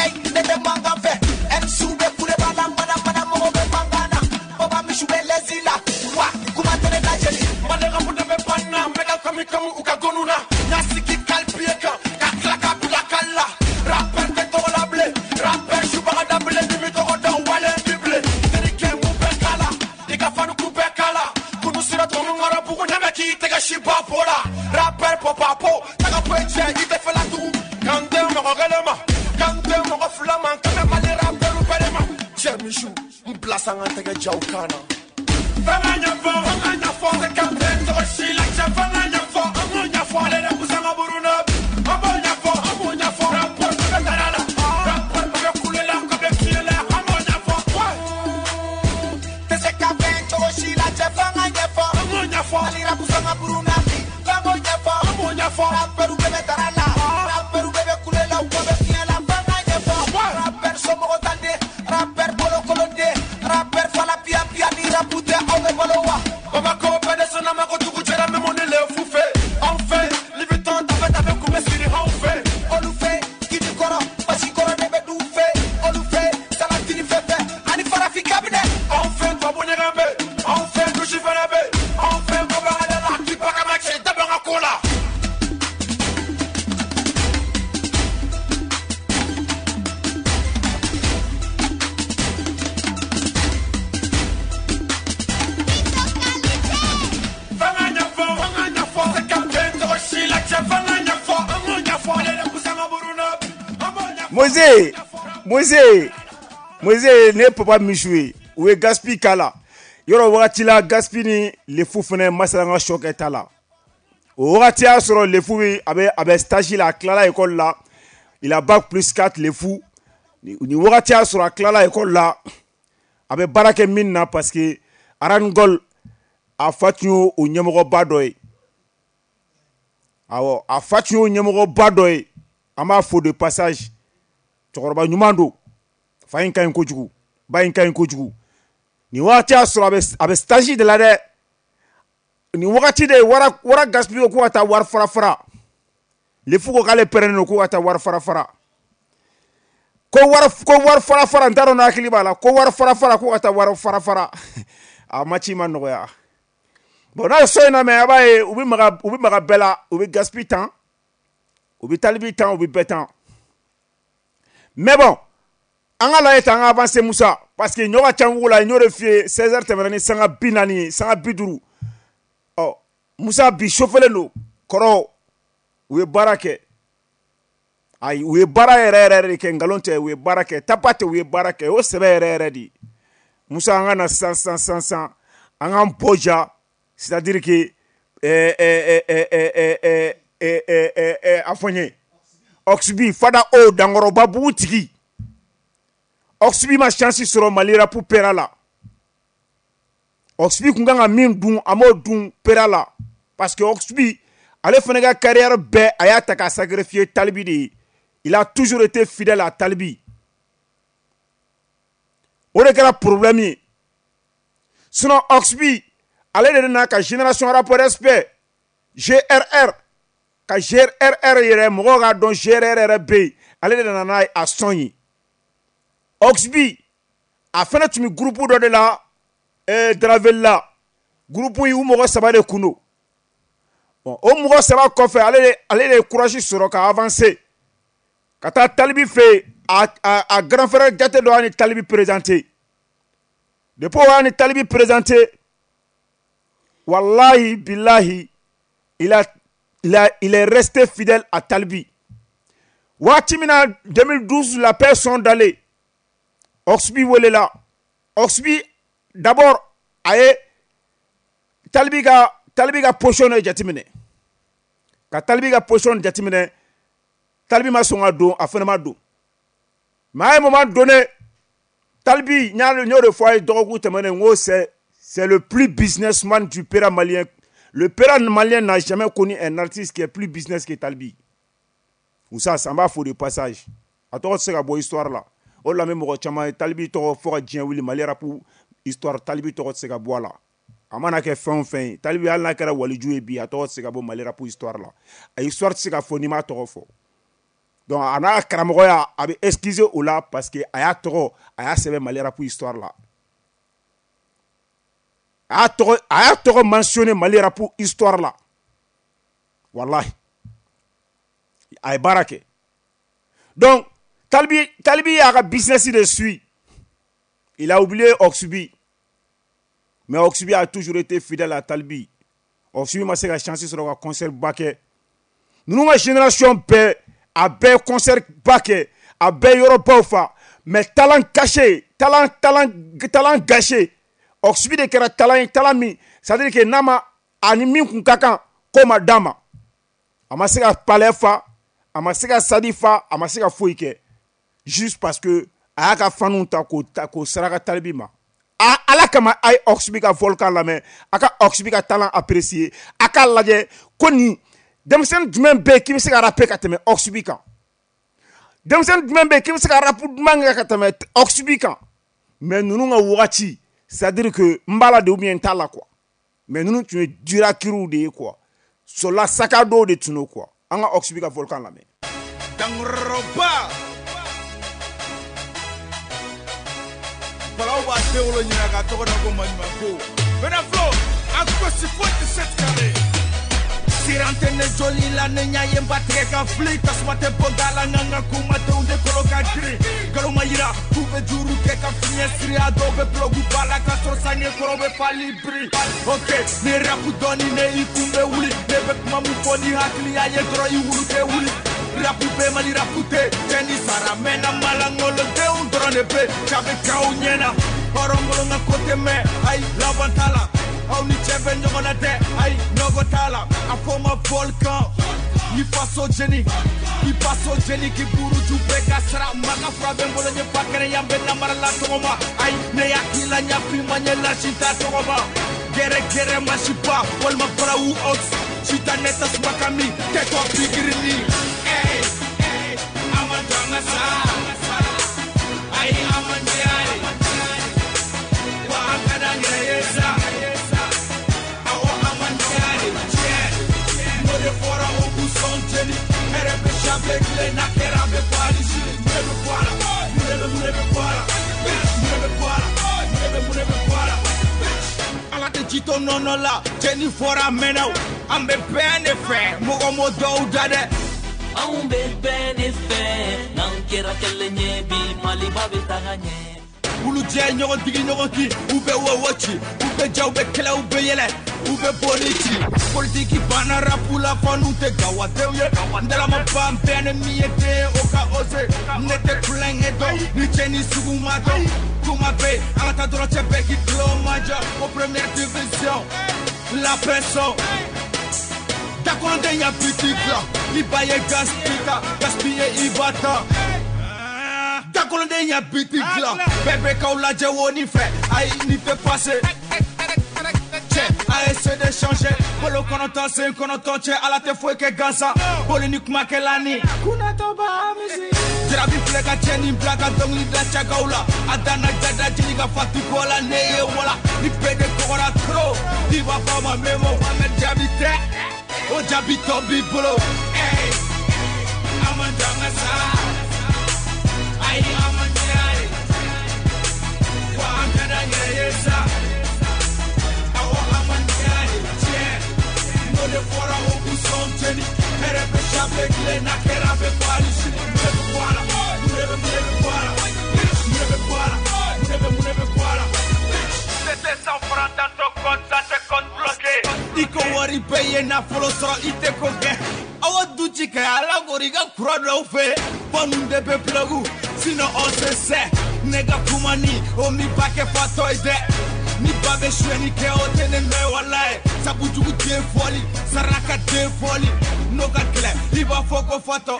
Speaker 8: ey ne tɛ mankan fɛ M C bɛ kule b'a la mana mana mɔgɔ bɛ mankan na baba misiw bɛ lɛsi la wa kuma tɛ ne lajɛli
Speaker 9: Mali rapu de bɛ pan na n bɛ ka kami kami u ka gɔnu na n y'a sigi kalipiye kan ka tila ka bila kali la rapper tɛ tɔgɔ la bilen rapper subaga da bilen ni mi tɔgɔ dɔn wale bi bilen terikɛ mun bɛ k'a la i ka fanu kun bɛɛ k'a la kunu sira tɔnu ŋɔrɔ bugu ne bɛ k'i tɛgɛ si ba po la rapper pɔpapo taga bɔ i cɛ i tɛ fɛ la tugun kan tɛ mɔgɔ kelen ma kan tɛ mɔgɔ fila ma kan bɛ Mali rapperu bɛɛ de ma cɛ misiw n bila sanga tɛgɛ jaw kan na. Fanga ɲɛfɔ, fanga ɲɛfɔ, tɛ ka bɛn tɔgɔ si la cɛ fanga ɲɛfɔ, an b'o ɲɛfɔ, ale de busanga buruna bi, an b'o ɲɛfɔ, an b'o ɲɛfɔ, rappeur bɛɛ bɛ dara la, rappeur bɛɛ bɛ kule la, ka bɛ fiye la, an b'o ɲɛfɔ,
Speaker 8: tɛ se ka bɛn cogo si la cɛ fanga ɲɛfɔ
Speaker 9: an b'o ɲɛfɔ,
Speaker 8: Mali rap sanga buruna bi f'an k'o ɲɛfɔ
Speaker 9: an b'o ɲɛfɔ,
Speaker 8: rapperu bɛɛ bɛ dara la rapperu bɛɛ bɛ kule la u kɔ bɛ fiɲɛ la fanga ɲɛfɔ rapper somɔgɔ tan de rapper bolokolonden rapper fala piya piya ni rapu tɛ aw bɛ balo wa.
Speaker 9: Bamakɔ bɛɛ de sɔnna ma ko dugu jɛra min ni le fu fɛ, anw fɛ, Libiton tafe tafe kun bɛ siri anw fɛ.
Speaker 8: Olu fɛ kini kɔrɔ basi kɔrɔ de bɛ du fɛ olu fɛ salatini fɛn fɛn ani farafin kabinɛ.
Speaker 9: Anw fɛ tubabu ɲɛgɛn bɛ, anw fɛ dusi fɛnɛ bɛ, anw fɛ kɔbanga la, k'i baga ma cɛ da bɛ n ka ko la. Fanga ɲɛfɔ, fanga ɲɛfɔ, tɛ ka bɛn tɔgɔ si la cɛ fanga ɲɛfɔ, an b'o ɲɛfɔ, ale de busanga buruna bi, an b'o ɲɛfɔ.
Speaker 2: Moise, Moise, Moise ne ye papa Michou ye u ye Gaspi k'a la yɔrɔ wagati la Gaspi ni Lefu fɛnɛ masala an ka sɔ kɛ ta la o wagati y'a sɔrɔ Lefu bɛ a bɛ a bɛ stage la a tilala école la il a bac plus quatre Lefu ni ni wagati y'a sɔrɔ a tilala école la a bɛ baara kɛ min na parce que Arangol a fa tun y'o o ɲɛmɔgɔba dɔ ye awɔ a fa tun y'o ɲɛmɔgɔba dɔ ye an b'a fo de passage cɛkɔrɔba ɲuman don fa in ka ɲi kojugu ba in ka ɲi kojugu nin wagati y'a sɔrɔ a bɛ a bɛ stage de la dɛ nin wagati de wara wara Gaspi ko k'u ka taa wari fara fara Lefu ko k'ale pɛrɛnnen don k'u ka taa wari fara fara ko wari ko wari fara fara n t'a dɔn n'a hakili b'a la ko wari fara fara k'u ka taa wari fara fara a match ma nɔgɔya bon n'a ye so in na mɛ a b'a ye u bɛ maga u bɛ maga bɛɛ la u bɛ Gaspi tan u bɛ Talibi tan u bɛ bɛɛ tan mais bon an ka lajɛ tan an ka avancer Musa parce que ɲɔ ka ca wugu la n y'o de f'i ye seize heures tɛmɛna ni sanga bi naani ye sanga bi duuru ɔ Musa bi sofɛlen don kɔrɔ u ye baara kɛ ayi u ye baara yɛrɛ yɛrɛ de kɛ nkalon tɛ u ye baara kɛ tapa tɛ u ye baara kɛ o sɛbɛ yɛrɛ yɛrɛ de ye Musa an ka na sisan sisan sisan sisan an k'an bɔ ja c'est à dire que ɛɛ ɛɛ ɛɛ ɛɛ ɛɛ ɛɛ ɛɛ ɛɛ a fɔ n ye Oxby Fada o dankɔrɔba bugu tigi Oxby ma chance sɔrɔ Mali rap pera la Oxby kun kan ka min dun a m'o dun pera la parce que Oxby ale fana ka carrière bɛɛ a y'a ta k'a sacrifier Talibi de ye il a toujours été fidèle à Talibi o de kɛra problème ye sinon Oxby ale de nana ka génération rap respect G R R ka G R R yɛrɛ mɔgɔw k'a dɔn G R R yɛrɛ bɛ yen ale de nana n'a a son ye Oxby a fana tun bɛ groupe dɔ de la eh, Dravel la groupe in u mɔgɔ saba de kun don bon o mɔgɔ saba kɔfɛ ale de ale de ye courage sɔrɔ ka avancer ka taa Talibi fɛ yen a a a grand frère jate dɔ y'a ni Talibi présenté depuis o y'a ni Talibi présenté wallahi billahi il a il a il est resté fidèle à Talibi waati min na deux mille douze la paix sont dalen Oxby welela Oxby d'abord a ye Talibi ka Talibi ka position de jateminɛ ka Talibi ka position jateminɛ Talibi ma sɔn ka don a fana ma don mais à un moment donné Talibi n y'a n y'o de fɔ a ye dɔgɔkun tɛmɛnen n ko c'est c'est le plus businessman du pera malien. Le pera malien n'a jamais connu un artiste qui est plus business que Talibi. Ou ça, ça m'a faux de passage. A tɔgɔ tɛ se ka bɔ histoire la. O de la n bɛ mɔgɔ caman ye Talibi tɔgɔ fɔ ka diɲɛ wuli Mali rap histoire Talibi tɔgɔ tɛ se ka bɔ a la. A mana kɛ fɛn o fɛn ye, Tal B hali n'a kɛra waliju ye bi, a tɔgɔ tɛ se ka bɔ Mali rap histoire la. A histoire tɛ se ka fɔ n'i m'a tɔgɔ fɔ. Donc a n'a karamɔgɔya, a bɛ excuser o la parce que a y'a tɔgɔ, a y'a sɛbɛn Mali rap histoire la. A y'a tɔgɔ, a y'a tɔgɔ mentionné Mali rap histoire la. Wallahi. A ye baara kɛ. Donc Tal B, Tal B y'a ka business de suit. Il a oublié Oxubi. Mais Oxubi a toujours été fidèle à Tal B. Oxubi ma se ka chance sɔrɔ ka concert ba kɛ. Ninnu ka génération bɛɛ, a bɛɛ concert ba kɛ, a bɛɛ yɔrɔbaw fa. Mais talent caché, talent, talent, talent gâché. Oxubi de kɛra talent ye, talent min, c'est-à-dire que n'a ma, ani min kun ka kan, k'o ma d'a ma. A ma se ka palais fa, a ma se ka sadi fa, a ma se ka foyi kɛ. Juste parce que a y'a ka fanu ta k'o ta k'o saraka Tal B ma. A ala kama a ye Oxubi ka volcan lamɛn, a ka Oxubi ka talent apprécier, a k'a lajɛ ko nin denmisɛnnin jumɛn bɛ yen k'i bɛ se ka rapper ka tɛmɛ Oxubi kan. Denmisɛnnin jumɛn bɛ yen k'i bɛ se ka rap duman kɛ ka tɛmɛ Oxubi kan. Mais ninnu ka wagati, c'est-à-dire que n b'a la de ou bien n t'a la quoi. Mais ninnu tun ye durakiriw de ye quoi. Sola saka dɔw de tun don quoi. An ka Oxubi ka volcan lamɛn.
Speaker 9: Dankɔrɔba. Balaw b'a den wolo ɲina k'a tɔgɔ da ko maɲumanko. Bɛnaflo, a gosi foyi tɛ se tigɛ. Siran tɛ ne joli la, ne ɲa ye n ba tigɛ ka fili. Tasuma tɛ bɔ da la, n ka kumadenw de kolo ka girin. Nkalon ma yira k'u bɛ juru kɛ ka fiɲɛ siri. A dɔw bɛ bulɔku ba la k'a sɔrɔ sange kɔrɔ bɛ fali biri. Ok, ne rapu dɔɔni, ne i kun bɛ wuli. Ne bɛ kuma mun fɔ ni hakili y'a ye dɔrɔn i wulu tɛ wuli. Rapu bɛ Mali rapu tɛ, cɛ ni sara mɛnna malangolodenw dɔrɔn de bɛ jabe k'aw ɲɛna. Hɔrɔnkolon ka ko tɛ mɛn, ayi laban t'a la. Aw ni cɛ bɛ ɲɔgɔn na dɛ, ayi nɔgɔ t'a la. A fɔ ma volcan, ni faso jeni, i faso jeni k'i buruju bɛɛ ka sara. Maka fura bɛ n bolo n ye fa kɛnɛ yan bɛ namara la tɔgɔ ma. Ayi ne hakili la ɲafin ma ɲɛ lasi t'a tɔgɔ ma. Gɛrɛ gɛrɛ masiba walima barawu ox, sita ne tasuma ka min kɛtɔ pikirini. Hey, hey, a ma jɔ an ka sa, ayi a ma diya ye, wa an ka d'an yɛrɛ ye sa. Awɔ a ma diya ye, tiɲɛ, n'o de fɔra o k'u sɔn jeni. Hɛrɛ bɛ sanfɛ tile n'a kɛra a bɛ bɔ hali sini. Mun de bɛ bɔ a la? Mun de bɛ mun de bɛ bɔ a la? Mun de bɛ bɔ a la? Mun de bɛ mun de bɛ bɔ a la? Ala tɛ ji to nɔnɔ la, cɛ ni fɔra a mɛnna o. An bɛ bɛn de fɛ, mɔgɔ m'o dɔw da dɛ.
Speaker 10: Anw bɛ bɛn de fɛ, n'an kɛra kelen ye bi, Maliba bɛ taga ɲɛ.
Speaker 9: Wulu jɛ ɲɔgɔn digi ɲɔgɔn kin, u bɛ wɔwɔ ci, u bɛ ja, u bɛ kɛlɛ, u bɛ yɛlɛ, u bɛ boli ci. Politiki banna rapu la, fɔ n'u tɛ gawadenw ye. N dalama ban bɛɛ ni min ye den o ka ose. Ne tɛ kulonkɛ dɔn, ni cɛ ni sugu ma dɔn. Kuma bɛ yen, an ka taa dɔrɔn cɛ bɛɛ k'i tulo majɔ. O première division, la pression. Dakɔnɔden ya biti dilan, i ba ye gaspille ta, gaspiller i ba ta. Dakɔnɔden ya biti dilan, bɛɛ bɛ k'aw lajɛ wo ni fɛ, ayi nin tɛ passé. Cɛ, a essaie de changer, bolo kɔnɔntɔn sen kɔnɔntɔn cɛ, ala tɛ foyi kɛ gansan. Boli ni kumakɛla ni kunnatɔ b'a misi. Jarabi filɛ ka cɛ nin bila ka dɔnkili da cakaw la. A danna jada jeli ka fatu kɔ la, ne ye wala. Ni bɛɛ de kɔgɔra trop, i b'a fɔ a ma memo. Mohamed Jaabi tɛ, o jaabi tɔ b'i bolo. Hey, a ma jɔ an ka sa, ayi a ma diya ye, wa an ka d'an yɛrɛ ye sa. Awɔ a ma diya ye, tiɲɛ, n'o de fɔra o k'u sɔn jeni. Hɛrɛ bɛ sanfɛ tile n'a kɛra a bɛ bɔ hali sini. Mun de bɛ bɔ a la? Mun de bɛ mun de bɛ bɔ a la? Mun de bɛ bɔ a la? Mun de bɛ mun de bɛ bɔ a la? C'était cent francs dans ton compte, ça te compte bloqué. I ko wari bɛɛ ye nafolo sɔrɔ i tɛ ko kɛ. Aw du ci kɛ ala kori ka kura dɔw fɛ. Fanu de bɛ plug, sinon on se sait. Ne ka kuma ni o mi ba kɛ fatɔ ye dɛ. Ni ba bɛ suyɛnni kɛ o tɛ ne nɔ ye walayi. Sabu jugu den fɔli, saraka den fɔli. N'o ka gɛlɛn i b'a fɔ ko fatɔ.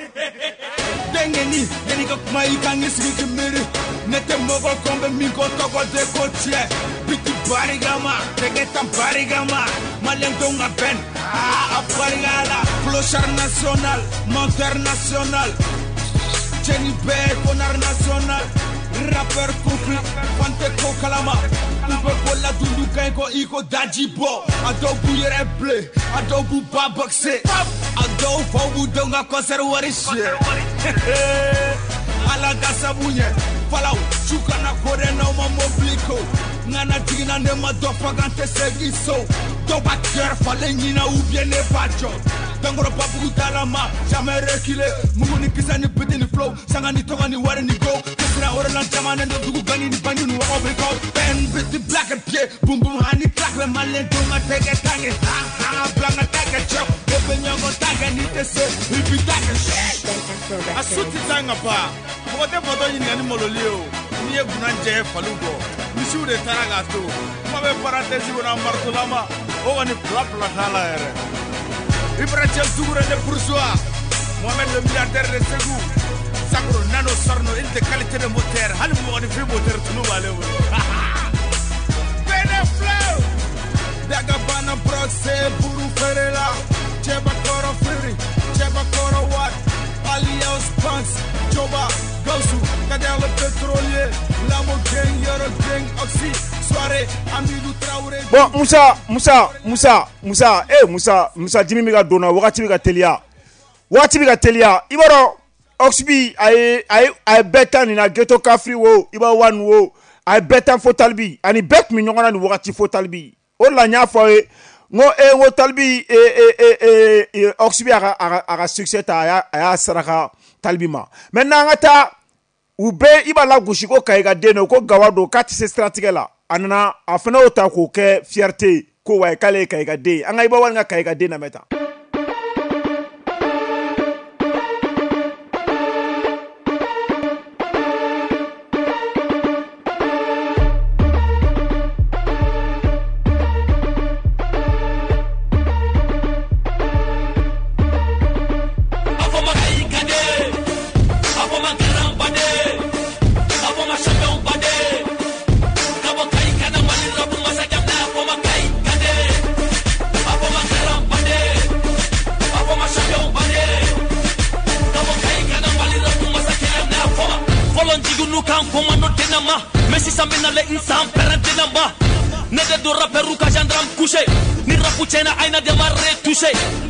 Speaker 9: Denkɛni, yanni ka kuma i kan k'i sigi k'i miiri. Ne tɛ mɔgɔ kɔn bɛ min ko tɔgɔ de ko tiɲɛ. Biti barikama, tɛgɛ tan barikama. Maliyɛndenw ka bɛn, aa a barika la. Clochard national, menteur national. Cɛ ni bɛɛ connard national.
Speaker 11: Rappeur couple, fante ko kalama. U bɛ bɔla dundu kan ko i ko daji bɔ. A dɔw b'u yɛrɛ bilen, a dɔw b'u ba boxe. A dɔw faw b'u denw ka concert wari siɲɛ. Ala ka sabu ɲɛ. Falaw, su kana ko dɛ n'aw ma mobili ko. Ŋana jiginna ne ma dɔ faga n tɛ segin so. Dɔw b'a cœur falen ɲina ou bien ne b'a jɔ. Dankɔrɔ babugu dalama, jamais reculer. Mugu ni kisɛ ni biti ni flow, sanga ni tɔgɔ ni wari ni go. Kesira orelan jamanen don dugu gani ni banju ni wagaw bɛ kɔ. Bɛn biti black and pied, boom boom hani clack bɛ malien denw ka tɛgɛ tange. Ha ha bila n ka tɛgɛ cɛ, e bɛ ɲɔgɔn ta kɛ n'i tɛ se, i b'i ta kɛ.
Speaker 12: A su tɛ taa n ka ba, mɔgɔ tɛ fatɔ ɲininka ni maloli ye o. N'i ye gunna jɛ faliw kɔ, misiw de taara k'a to. Kuma bɛ parenthèse kɔnɔ a maritolama, o kɔni fila fila t'a la yɛrɛ. Ibrahim Dougouré de Bourgeois, Mohamed le milliardaire de Ségou, Sakro Nano Sarno, il de qualité de moteur, hali mɔgɔninfin moteur tulu b'ale bolo.
Speaker 11: Bene Flow, Dagabana Broxé, Buru Ferela, Jeba Koro Firi, Jeba Koro Wat, Alios Banks, Joba, Gausu, Kader le pétrolier, Lamo Gang, Yoro Gang, Oxy, Soirée, Amidou Traoré.
Speaker 2: Bon, Moussa, Moussa, Moussa, Moussa, eh Moussa, Moussa, dimi bɛ ka don na, wagati bɛ ka teliya. Wagati bɛ ka teliya. I b'a dɔn, Oxby, a ye, a ye, a ye bɛɛ ta nin na, Ghetto Kafri wo, Iba One wo, a ye bɛɛ ta fo Talibi. Ani bɛɛ tun bɛ ɲɔgɔn na nin wagati fo Talibi. O de la n y'a fɔ aw ye, n ko eh, n ko Talibi, eh, eh, eh, eh, Oxby a ka, a ka, a ka succès ta, a y'a, a y'a saraka Talibi ma. Maintenant an ka taa, u bɛɛ i b'a lagosi ko Kayi ka den don, ko Gawa don, k'a tɛ se siratigɛ la. A nana, a fana y'o ta k'o kɛ fierté ye, ko wayi k'ale ye Kayi ka den ye. An ka Iba One ka Kayi ka den lamɛn tan.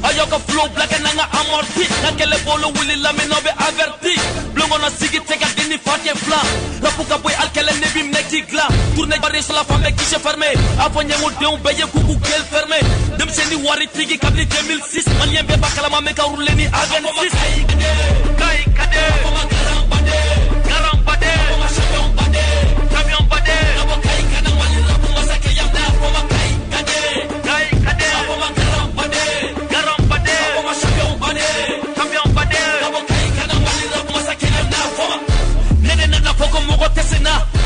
Speaker 10: Ayoka flow black and nanga amorti. Na kele bolo wuli la meno be averti. Blongo na sigi teka dini fake fla. Rapuka boy alkele nebi mneki gla. Tourne barre sur la femme qui s'est fermée. Afonye mo deun beye kuku kel fermé. Demseni wari tigi kabli deux mille six. Malien be bakalama meka roule ni A vingt-six. Kai kade. Afoma garambade. Garambade. Afoma champion bade. Champion bade. Abo kai kana mali rapu masake yamna. Afoma kai kade. Kai kade. Afoma garambade.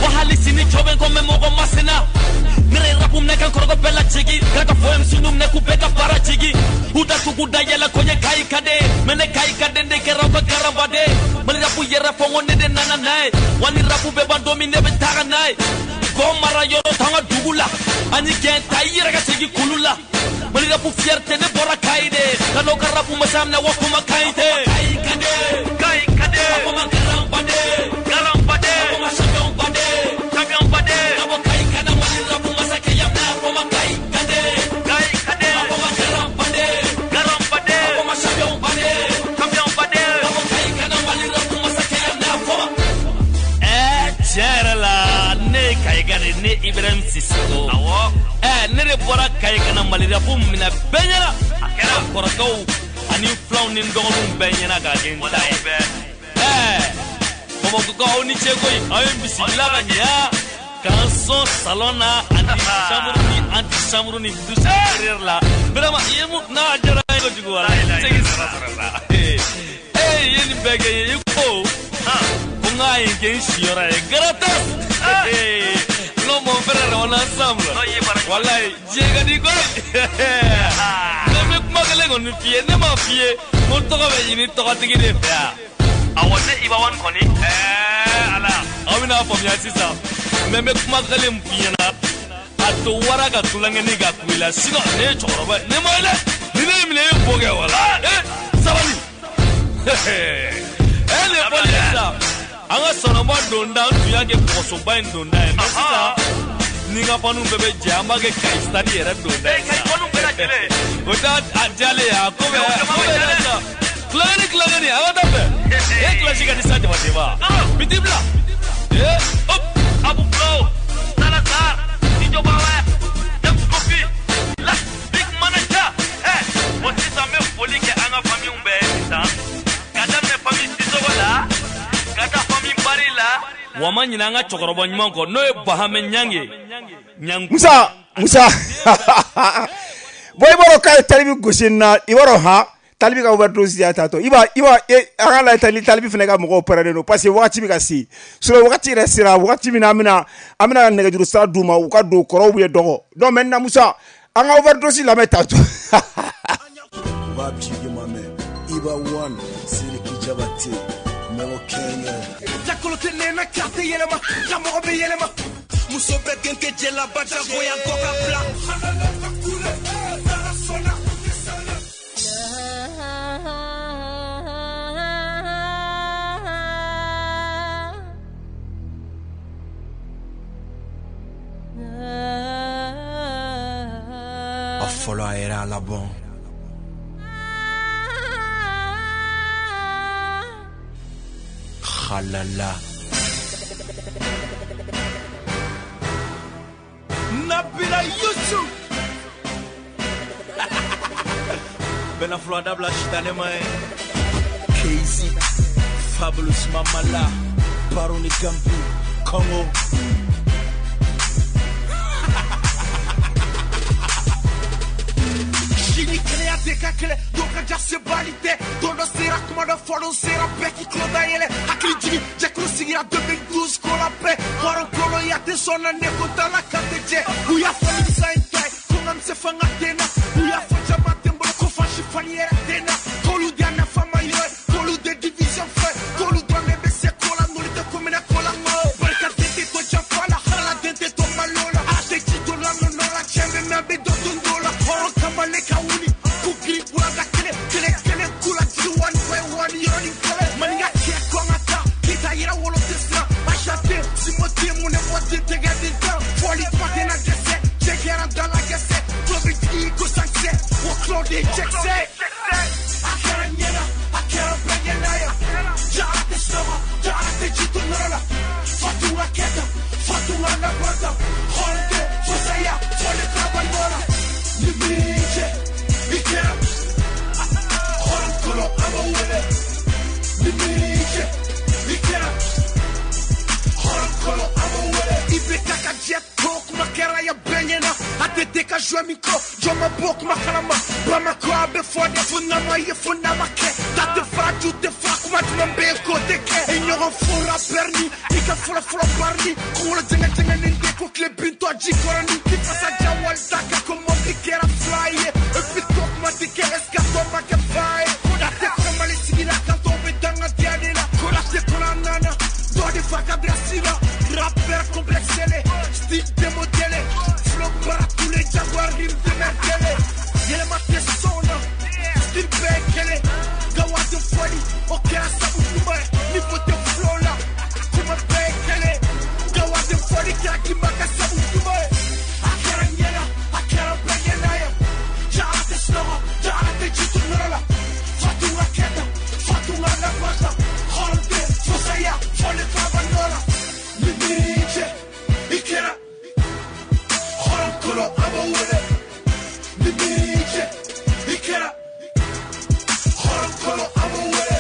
Speaker 10: Wahali sini choben kome mogo masena. Nere rapu mneka nkorogo bela chigi. Graka foem sinu mneku beka para chigi. Uda tukuda yela konye kai kade. Mene kai kade ndeke rauka garambade. Mali rapu yera fongo nede nana nae. Wani rapu beba domine betara nae. Gomara yoro tanga dugula. Ani gen taira ka chigi kulula. Mali rapu fierte ne bora kaide. Kanoka rapu masamna wakuma kaide. Kai kade. Kai kade. Akoma garambade. Garambade. Akoma champion bade. Champion bade. Abo kai kana mali rapu masake yamna. Akoma kai kade. Kai kade. Akoma garambade. Garambade. Akoma champion bade. Champion bade. Abo kai kana mali rapu masake yamna. Akoma. Eh, tiɲɛ la ne Kayi ka de ne Ibrahim Sisoko. Awɔ. Eh, ne de bɔra Kayi ka na Mali rapu minɛ bɛɛ ɲɛna. A kɛra kɔrɔkɛw ani filanw ni n dɔgɔninw bɛɛ ɲɛna k'a kɛ n ta ye. Eh, Bamakɔkaw aw ni ce koyi, aw ye bisimila ka ɲɛ k'an sɔn salon na ani chambre ni anti chambre ni douche intérieure la. Vraiment, i ye mun n'a diyara n ye kojugu wala. Segin sara sara sa. Eh, i ye nin bɛɛ kɛ n ye, i ko ko n k'a ye kɛ n siyɔrɔ ye gratos. Non, mon frère, on est ensemble. Wallahi, diɲɛ ka di koyi. Ne bɛ kuma kelen kɔni f'i ye, ne m'a f'i ye ko n tɔgɔ bɛ ɲini tɔgɔtigi de fɛ yan. Awɔ, ne Iba One kɔni. Ɛɛ Ala, aw bɛna faamuya sisan. Mais n bɛ kuma kelen min f'i ɲɛna, a to wara ka tulonkɛni ka ku i la, sinon ne ye cɛkɔrɔba ye, ne ma ye dɛ. Ni ne y'i minɛ, i ye bo kɛ wala. Ee sabali. Ee nin ye fɔli ye sisan. An ka sɔnɔmɔ Kɔgɔsoba donda n tun y'a kɛ kɔgɔsoba in donda ye mais sisan ni n ka fanu bɛɛ bɛ jɛ an b'a kɛ Kayi stade yɛrɛ donda ye.
Speaker 13: Kayi fanu bɛɛ lajɛlen.
Speaker 10: O t'a a diyalen ye a ko bɛ ko bɛ sisan. Tulonkɛni tulonkɛni a ka taa fɛ. E kilasi ka di sa Jabatɛ ma. Biti bila. Ee hop
Speaker 13: Abu Flow Salazar Dijo Bawa James Kofi La Big Manager. Eh bon sisan n bɛ foli kɛ an ka famille bɛɛ ye sisan. Ka daminɛ famille Sisoko la ka taa famille Bari la.
Speaker 10: Wa ma ɲinɛ an ka cɛkɔrɔba ɲuman kɔ n'o ye Bahamɛ Ɲange. Ɲangu.
Speaker 2: Musa Musa bon i b'a dɔn k'a ye Talibi gosi nin na i b'a dɔn han Talibi ka overdose y'a ta tɔ i b'a i b'a e an ka lajɛ Talibi Talibi fana ka mɔgɔw pɛrɛnnen don parce que wagati bɛ ka se sinon wagati yɛrɛ sera wagati min na an bɛna an bɛna nɛgɛjuru sira d'u ma u ka don kɔrɔw bɛ dɔgɔ donc maintenant Musa an ka overdose lamɛn tantôt.
Speaker 14: Babjigi mame Iba One Siriki Jabate Melo Kenya
Speaker 9: Jakolo tɛ nɛnɛ carte yɛlɛma Jamɔgɔ bɛ yɛlɛma Muso bɛ gɛn kɛ jɛlaba jagoya kɔ ka bila
Speaker 14: A fɔlɔ a yɛrɛ a labɔn Khalala
Speaker 9: Nabila Yusuf
Speaker 10: Bɛna fura dabila sitanɛ ma ye.
Speaker 14: K Z Fabulous Mamala Baroni Gambi Congo
Speaker 9: Sini kɛnɛya tɛ ka kɛlɛ dɔw ka ja sebali tɛ don dɔ sera kuma dɔ fɔ dɔ sera bɛɛ k'i tulo dayɛlɛ hakili jigin jɛkulu sigira deux mille douze ko la bɛɛ hɔrɔn kolonya tɛ sɔn na ne ko t'a la kan tɛ jɛ u y'a fɔ nimisa ye ta ye ko n ka misɛn fanga tɛ n na u y'a fɔ jama tɛ n bolo ko fan si fani yɛrɛ tɛ n na k'olu de y'a nafa ma yɔrɔ ye k'olu de division fɛ k'olu dɔrɔn de bɛ se ko la n'olu tɛ ko minɛ ko la ŋo barikaden tɛ to janfa la haladen tɛ to malo la ala tɛ ji to la nɔnɔ la cɛ bɛ mɛn a bɛ dɔ dun dɔ la hɔrɔn kamalen ka wuli k'u girin buranda kelen kelen kelen k'u la jigi wani bɛ wani yɔrɔnin kelen maninka cɛ kɔn ka taa k'i ta yɛrɛ wolo tɛ siran Aisha den Simo den mun ne bɔ den tɛgɛ den tan fɔli kuma tɛ na dɛsɛ cɛ kɛra da la gɛsɛ tulo bɛ jigin ko sankisɛ o tulo de ye cɛkisɛ a kɛra ɲɛna a kɛra bɛɛ ɲɛna ye jara tɛ sunɔgɔ jara tɛ ji to nɔrɔ la Fatunga kɛta Fatunga labɔta hɔrɔn tɛ fosaya fɔli kaba nɔ la ni min cɛ i kɛra hɔrɔn kolo an b'o wele ni min cɛ i kɛra hɔrɔn kolo an b'o wele i bɛ taa ka jɛ to kuma kɛra ya bɛɛ ɲɛna a tɛ tɛ ka jouer min kɔ jɔn ma bɔ kuma kalama Bamakɔ a bɛ fɔ de fo n'a ma ye fo n'a ma kɛ ta tɛ fara ju tɛ fara kuma jumɛn bɛ yen k'o tɛ kɛ i ɲɔgɔn fora bɛrni i ka fɔlɔ fɔlɔ barni kunkolo jɛngɛ jɛngɛnen de ko tile bintɔ ji kɔrɔni i fasa ja wali da kan ko mɔbili kɛra fila ye et puis to kuma tɛ kɛ est ce que a tɔ ma kɛ fa ye ko da tɛ kɔnɔ Mali sigi la kan tɔw bɛ danga diya de la ko da tɛ kɔnɔ a nana dɔ de fa ka bila si la rappeur complexé style démodélé flow bara tous les jaguars rime de merkele yɛlɛma tɛ sɔn na style bɛɛ ye kelen gawa tɛ fɔli o kɛra sabu ɲuman ye niveau tɛ flow la kuma bɛɛ ye kelen gawa tɛ fɔli kɛra k'i ma kɛ sabu ɲuman ye a kɛra ɲɛna a kɛra bɛɛ ɲɛna ye jara tɛ sunɔgɔ jara tɛ ji to nɔrɔ la Fatunga kɛta Fatunga labɔta hɔrɔn tɛ fosaya fɔli kaba nɔ la ni min cɛ i kɛra hɔrɔn kolo an b'o wele ni min cɛ i kɛra hɔrɔn kolo an b'o wele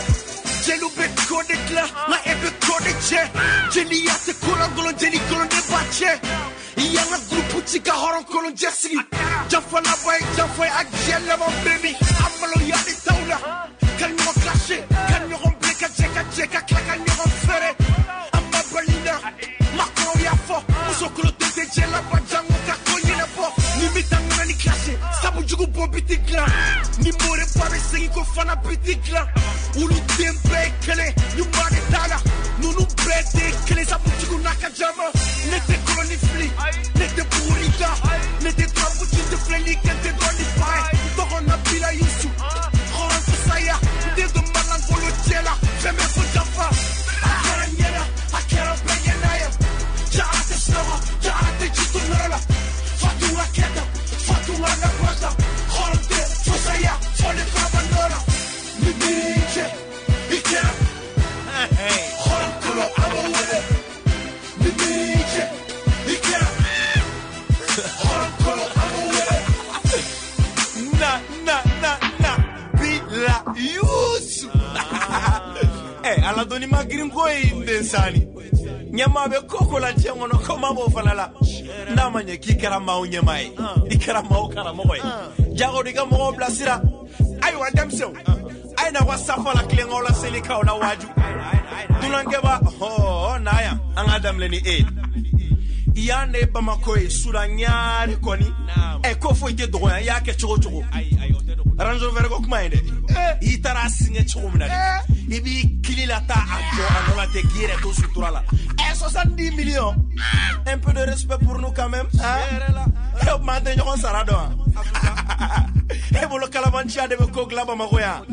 Speaker 9: jeliw bɛ ko de dilan nka e bɛ ko de cɛ jeliya tɛ ko lankolon jeli kolon de b'a cɛ i y'an ka gurupu ci ka hɔrɔn kolon jɛ sigi janfa laban ye janfa ye a jɛ laban bɛ min a maloya de t'aw la ka ɲɔgɔn kilase ka ɲɔgɔn bilen ka jɛ ka jɛ ka tila ka ɲɔgɔn fɛrɛ an ma bali na makɔrɔw y'a fɔ muso kolo den tɛ jɛ laban jango ka ko ɲɛnabɔ ni bɛ taa ŋana ni kilase sabu jugu bɔ bi ti dilan ni more ba bɛ segin ko fana bi ti dilan olu den bɛɛ ye kelen ɲuman de t'a la ninnu bɛɛ de ye kelen sabu jugu n'a ka jama ne tɛ koloni fili ne tɛ buguri da ne tɛ turabu ci tɛ filɛli kɛ n tɛ dɔn ni ba ye n tɔgɔ Nabila Yusu hɔrɔn fisaya n den don malangolo cɛ la fɛn bɛɛ fo janfa a kɛra ɲɛna a kɛra
Speaker 15: Ala dɔnni ma girin ko ye n den sani. Ɲɛmaa bɛ ko ko la diɲɛ kɔnɔ ko maa b'o fana la. N'a ma ɲɛ k'i kɛra maaw ɲɛmaa ye, i kɛra maaw karamɔgɔ ye. Jago i ka mɔgɔw bilasira. Ayiwa denmisɛnw, a ye na wa safa la tilenkaw la selikaw la waaju. Dunankɛba hɔɔ na yan an k'a daminɛ ni e ye. Yan de ye Bamakɔ ye Sudan ɲaare kɔni. Ɛ ko foyi tɛ dɔgɔya i y'a kɛ cogo cogo. Range Rover ko kuma ye dɛ. I taara a siŋɛ cogo min na dɛ. I b'i kili la taa a jɔ a nɔ la ten k'i yɛrɛ to sutura la. Ɛ soixante-dix millions. Un peu de respect pour nous quand même. Hein? E maa tɛ ɲɔgɔn sara dɔn wa? E bolo kalabanciya de bɛ ko dilan Bamakɔ yan.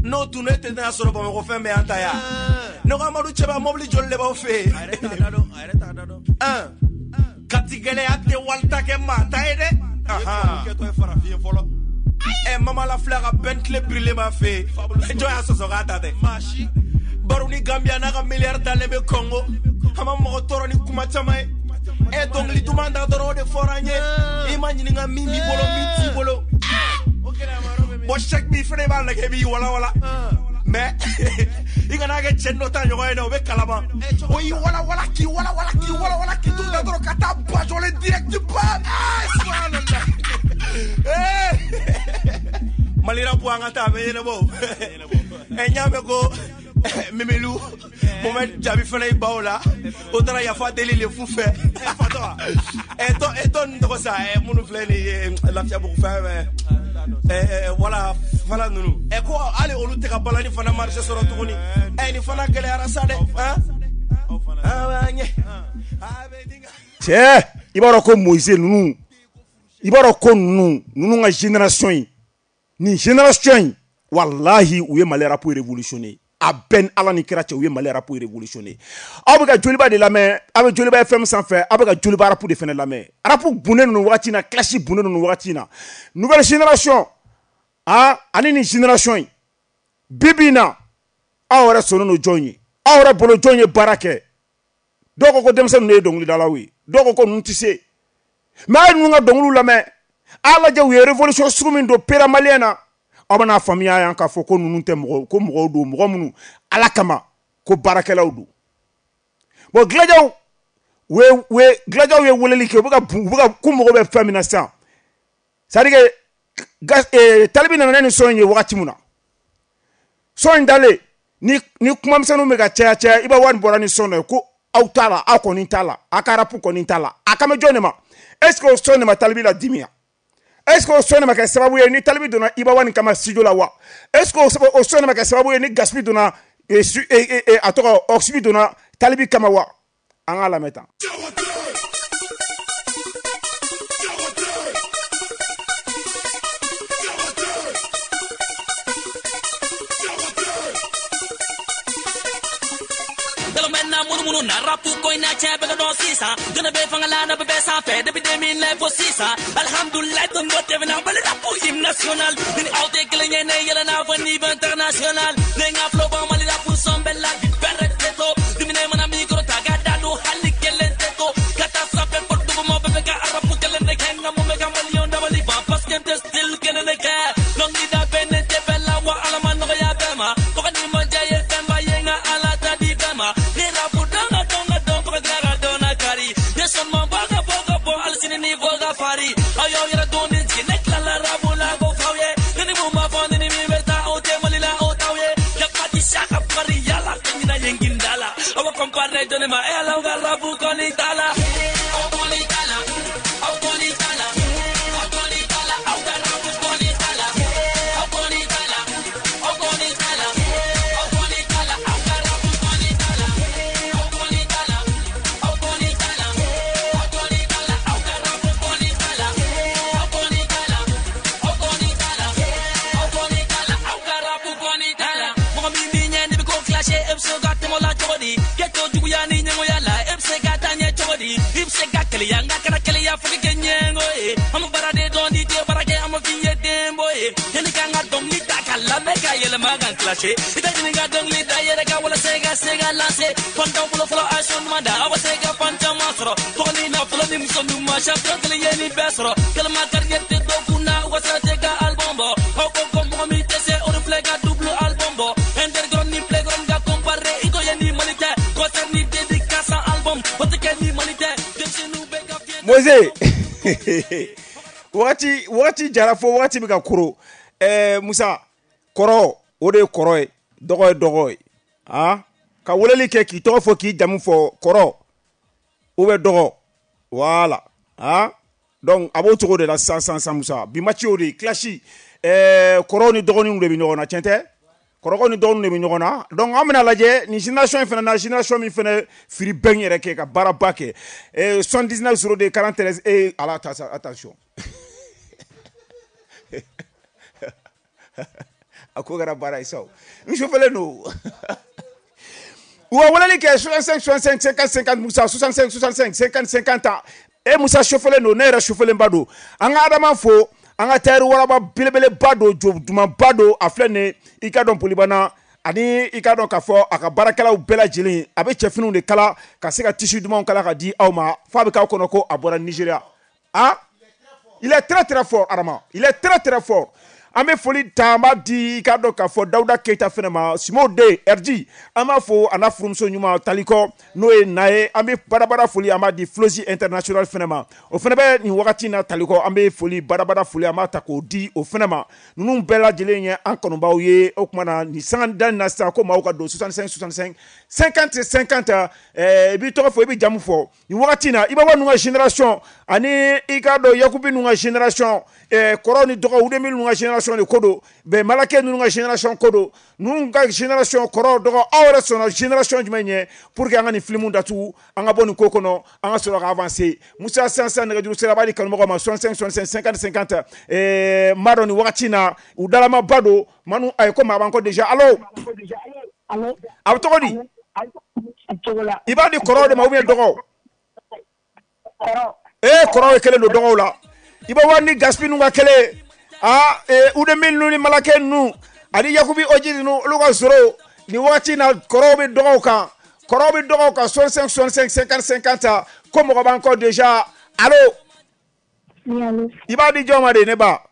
Speaker 15: N'o tun ne tɛ tɛna sɔrɔ Bamakɔ fɛn bɛɛ y'an ta yan. Ne ko Amadu Cɛba mobili joli de b'aw fɛ yen? Kati gɛlɛya tɛ walita kɛ maa ta ye dɛ. Ɛ mama la filɛ ka Bentley birilen b'a fɛ yen. Jɔn y'a sɔsɔ k'a ta tɛ? Baro ni Gambia n'a ka miliyari dalen bɛ Congo. An ma mɔgɔ tɔɔrɔ ni kuma caman ye. Ɛ dɔnkili duman da dɔrɔn o de fɔra an ye. I ma ɲininka min b'i bolo min t'i bolo. Bon chèque min fɛnɛ b'a lajɛ i b'i walawala. Mais i kana kɛ cɛ dɔ ta ɲɔgɔn ye dɛ o bɛ kalaban. O y'i walawala k'i walawala k'i walawala k'i t'u da dɔrɔn ka taa bajɔlen direct ba. Subhanallah. Mali rap an ka taa a bɛ ɲɛnabɔ. Ɛ n y'a mɛn ko Mimilou Mohamed Jabi fana y'i ban o la. O taara yafa deli le fu fɛ. Fatɔ ɛ tɔ ɛ tɔ ninnu tɔgɔ sa ɛ minnu filɛ nin ye Lafiyabugu fɛn fɛn. Ɛ wala fana ninnu. Ɛ ko hali olu tɛ ka balani fana marché sɔrɔ tuguni. Ɛ nin fana gɛlɛyara sa dɛ.
Speaker 2: Cɛ i b'a dɔn ko Moise ninnu i b'a dɔn ko ninnu ninnu ka génération in nin génération in walahi u ye Mali rap révolutionné. A bɛɛ ni Ala ni kira cɛ u ye Mali rap révolutionné. Aw bɛ ka Joliba de lamɛn, aw bɛ Joliba F M sanfɛ, aw bɛ ka Joliba rap de fana lamɛn. Rap bunnen ninnu wagati in na, clash bunnen ninnu wagati in na. Nouvelle génération ah ani nin génération in bi bi in na aw yɛrɛ sɔnnen don jɔn ye? Aw yɛrɛ bolo jɔn ye baara kɛ? Dɔw ko ko denmisɛnnin ninnu ye dɔnkilidalaw ye, dɔw ko ko ninnu tɛ se. Mais a ye ninnu ka dɔnkiliw lamɛn, a y'a lajɛ u ye révolution sugu min don pera malien na. Aw bɛna faamuya yan k'a fɔ ko ninnu tɛ mɔgɔ ko mɔgɔw don mɔgɔ minnu Ala kama ko baarakɛlaw don. Bon Gilajaw u ye u ye Gilajaw ye weleli kɛ u bɛ ka u bɛ ka ko mɔgɔ bɛ fɛn min na sisan. C'est à dire que Talibi nana ni son in ye wagati min na son in dalen ni ni kumamisɛnninw bɛ ka caya caya i b'a wari bɔra ni son dɔ ye ko aw t'a la aw kɔni t'a la a ka rap kɔni t'a la a kan bɛ jɔn de ma? Est ce que o son de ma Talibi la dimi ya? Est-ce que o son de ma kɛ sababu ye ni Talibi donna Iba One kama studio la wa? Est-ce que o son de ma kɛ sababu ye ni Gaspi donna a tɔgɔ Oxby donna Talibi kama wa? An k'a lamɛn tan.
Speaker 10: Munumunu na rapu ko ina cɛ bɛ ka dɔn sisan jɔnni bɛ fanga la na bɛ bɛɛ sanfɛ depuis deux mille neuf fo sisan alhamdulilayi don dɔ tɛmɛna Mali rapu hymne national ni ni aw tɛ kelen ye ne yɛlɛ n'a fɔ niveau international ne ka flow bɔ Mali rapu sɔn bɛɛ la bi bɛrɛ tɛ to dumuni mana micro ta ka da don hali kelen tɛ to ka taa sanfɛ fo duguma bɛɛ bɛ ka rapu kelen de kɛ nka mun bɛ ka maliyɛnw dabali ban parce que n tɛ style kelen de kɛ dɔnkilida bɛ ne tɛ bɛɛ la wa Ala ma nɔgɔya bɛɛ ma tɔgɔ ni ma diya ye fɛnba ye nka Ala ta di bɛɛ ma ne rapu dɔn ka dɔn ka dɔn fo ka tila ka dɔn na kari ne sɔn ma bɔ ka bɔ ka bɔ hali sini ni fɔ ka fari aw y'aw yɛrɛ dɔn ni jigin ne tilala rapu la ko f'aw ye ne ni mun b'a fɔ ne ni min bɛ taa aw tɛ Mali la aw t'aw ye yafa ti sa ka fari yala ka ɲina yen ginda la aw bɛ compare jɔnni ma e ala aw ka rapu kɔni t'a la aw kɔni t'a la aw kɔni t'a la aw kɔni t'a la aw ka rapu kɔni t'a la aw kɔni t'a la aw kɔni t'a la aw kɔni t'a la aw ka rapu kɔni t'a la aw kɔni t'a la aw kɔni t'a la aw kɔni t'a la aw ka rapu kɔni t'a la aw kɔni t'a la aw kɔni t'a la aw kɔni t'a la aw ka rapu kɔni t'a la mɔgɔ min b'i ɲɛ n'i bɛ ko clasher e bɛ se ka tɛmɛ o la cogo di k'e to juguya ni ɲɛngoya la e bɛ se ka taa ɲɛ cogo di i bɛ se ka keleya nka kana keleya fo k'i kɛ ɲɛngo ye an bɛ baara de dɔn n'i tɛ baara kɛ an bɛ f'i ye denbo ye yanni k'an ka dɔnkili ta ka lamɛn ka yɛlɛma ka clasher i tɛ ɲini ka dɔnkili da yɛrɛ kan walasa i ka se ka lancer fantanw bolo fɔlɔ a sɔn ɲuman da aw bɛ se ka fan caman sɔrɔ tɔgɔ ni nafolo ni muso ɲuman champion kelen ye nin bɛɛ sɔrɔ kɛlɛma carrière tɛ dɔw kun na u ka sira tɛ ka album bɔ aw ko ko mɔgɔ min tɛ se o de filɛ ka double album bɔ underground ni playground ka comparer
Speaker 2: Wagati wagati jara fo wagati bɛ ka koro. Ɛɛ Musa, kɔrɔ o de ye kɔrɔ ye, dɔgɔ ye dɔgɔ ye. Ah, ka weleli kɛ k'i tɔgɔ fɔ k'i jamu fɔ, kɔrɔ ou bien dɔgɔ. Voilà. Ah, donc a b'o cogo de la sisan sisan sisan Musa. Bi match y'o de ye, clash. Ɛɛ kɔrɔw ni dɔgɔninw de bɛ ɲɔgɔn na, tiɲɛ tɛ? Kɔrɔkɛw ni dɔgɔninw de bɛ ɲɔgɔn na. Donc an bɛna lajɛ nin génération in fana na, génération min fana firi bɛn yɛrɛ kɛ ka baaraba kɛ. Ɛɛ soixante-dix-neuf zéro deux quarante-treize eh ala attention. A ko kɛra baara ye sa o. N sufɛlen don. U ka weleli kɛ soixante-cinq soixante-cinq cinquante cinquante Musa, soixante-cinq soixante-cinq cinquante cinquante. E Musa sufɛlen don, ne yɛrɛ sufɛlenba don. An ka Adama fo, an ka tayɛri waraba belebeleba don, jo dumanba don, a filɛ nin ye i ka dɔn Polibana ani i ka dɔn k'a fɔ a ka baarakɛlaw bɛɛ lajɛlen, a bɛ cɛfiniw de kala ka se ka tissu dumanw kala ka di aw ma f'a bɛ k'aw kɔnɔ ko a bɔra Nigéria. Ah, il est très très fort Adama, il est très très fort. An bɛ foli ta, an b'a di i k'a dɔn k'a fɔ Dawuda Keyita fɛnɛ ma, Simo den R D, an b'a fo a n'a furumuso ɲuman Talikɔ n'o ye na ye. An bɛ badabada foli an b'a di Flosi International fɛnɛ ma, o fɛnɛ bɛ nin wagati in na Talikɔ. An bɛ foli badabada foli an b'a ta k'o di o fɛnɛ ma. Ninnu bɛɛ lajɛlen ye an kanubaw ye. O tuma na nin sanga da in na sisan ko maaw ka don soixante-cinq soixante-cinq cinquante cinquante. Ɛɛ i b'i tɔgɔ fɔ, i b'i jamu fɔ nin wagati in na. I b'a fɔ ninnu ka génération ani i k'a dɔn Yakubi ninnu ka génération, ɛɛ kɔrɔw ni dɔgɔw Udemi ninnu ka génération de ko don, bɛn Malakɛ ninnu ka génération ko don. Ninnu ka génération kɔrɔ dɔgɔ, aw yɛrɛ sɔnna génération jumɛn ɲɛ pour que an ka nin film datugu, an ka bɔ nin ko kɔnɔ, an ka sɔrɔ ka avancer. Musa sisan nɛgɛjuru sira b'a di kanubagaw ma soixante-cinq soixante-cinq cinquante cinquante. Ɛɛ n b'a dɔn nin wagati in na u dalamaba don manu. Ayi ko maa b'an kɔ déjà. Allo, a bɛ tɔgɔ di? I b'a di kɔrɔw de ma ou bien dɔgɔw? Ee kɔrɔw ye kelen don dɔgɔw la. I b'a wari ni Gaspi ninnu ka kelen. Ah, eh, Udemi ninnu ni Malakɛ ninnu ani Yakubi Oji ninnu olu ka zoro nin wagati in na kɔrɔw bɛ dɔgɔw kan, kɔrɔw bɛ dɔgɔw kan soixante-cinq soixante-cinq cinquante cinquante. Ko mɔgɔ b'an kɔ déjà. Allo, i b'a di jɔn ma de ne ba?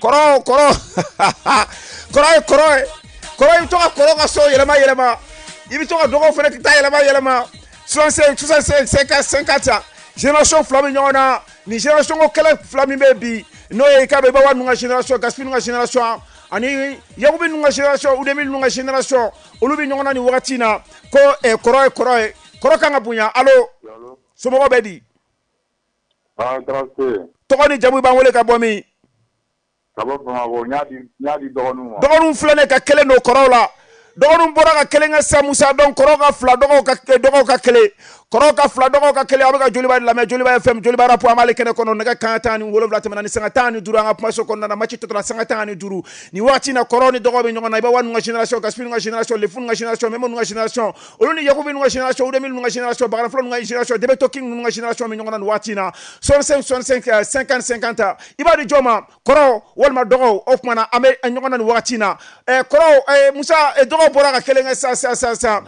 Speaker 2: Kɔrɔ kɔrɔ kɔrɔ ye kɔrɔ ye kɔrɔ. I bɛ to ka kɔrɔ ka so yɛlɛma yɛlɛma, i bɛ to ka dɔgɔw fana ta yɛlɛma yɛlɛma. soixante-cinq soixante-cinq cinquante cinquante. Génération fila bɛ ɲɔgɔn na. Nin génération ko kɛlɛ fila min bɛ bi n'o ye i k'a dɔn i b'a wa ninnu ka génération, Gaspi ninnu ka génération ani Yakubi ninnu ka génération, Udemi ninnu ka génération, olu bɛ ɲɔgɔn na nin wagati in na. Ko ɛ kɔrɔ ye kɔrɔ ye, kɔrɔ kan ka bonya. Allo, somɔgɔw bɛ di? Tɔgɔ ni jamu, i b'an wele ka bɔ min?
Speaker 16: Ka bɔ Bamakɔ. N y'a di n y'a di dɔgɔninw ma.
Speaker 2: Dɔgɔninw filɛ nin ye ka kelen don kɔrɔw la. Dɔgɔninw bɔra ka kelen kɛ sisan Musa. Donc kɔrɔw ka fila, dɔgɔw ka dɔgɔw ka kelen, kɔrɔw ka fila, dɔgɔw ka kelen. A bɛ ka Joliba de lamɛn, Joliba F M, Joliba Rap. An b'ale kɛnɛ kɔnɔ. Nɛgɛ kanɲɛ tan ni wolonwula tɛmɛna ni sanga tan ni duuru an ka kumaso kɔnɔna na. Match tɔ tora sanga tan ni duuru nin wagati in na. Kɔrɔw ni dɔgɔw bɛ ɲɔgɔn na. I b'a wa ninnu ka génération, Gaspi ninnu ka génération, Lefu ninnu ka génération, Memo ninnu ka génération, olu ni Yakubi ninnu ka génération, Udemi ninnu ka génération, Bagarafɔlɔ ninnu ka génération, Debeto King ninnu ka génération bɛ ɲɔgɔn na nin waati in na. soixante-cinq soixante-cinq cinquante cinquante. I b'a di jɔn ma, kɔrɔw walima dɔgɔw? O tuma na an bɛ ɲɔgɔn na nin wagati in na. Ɛɛ kɔrɔw, Musa, dɔgɔw bɔra ka kelen kɛ sisan sisan sisan sisan.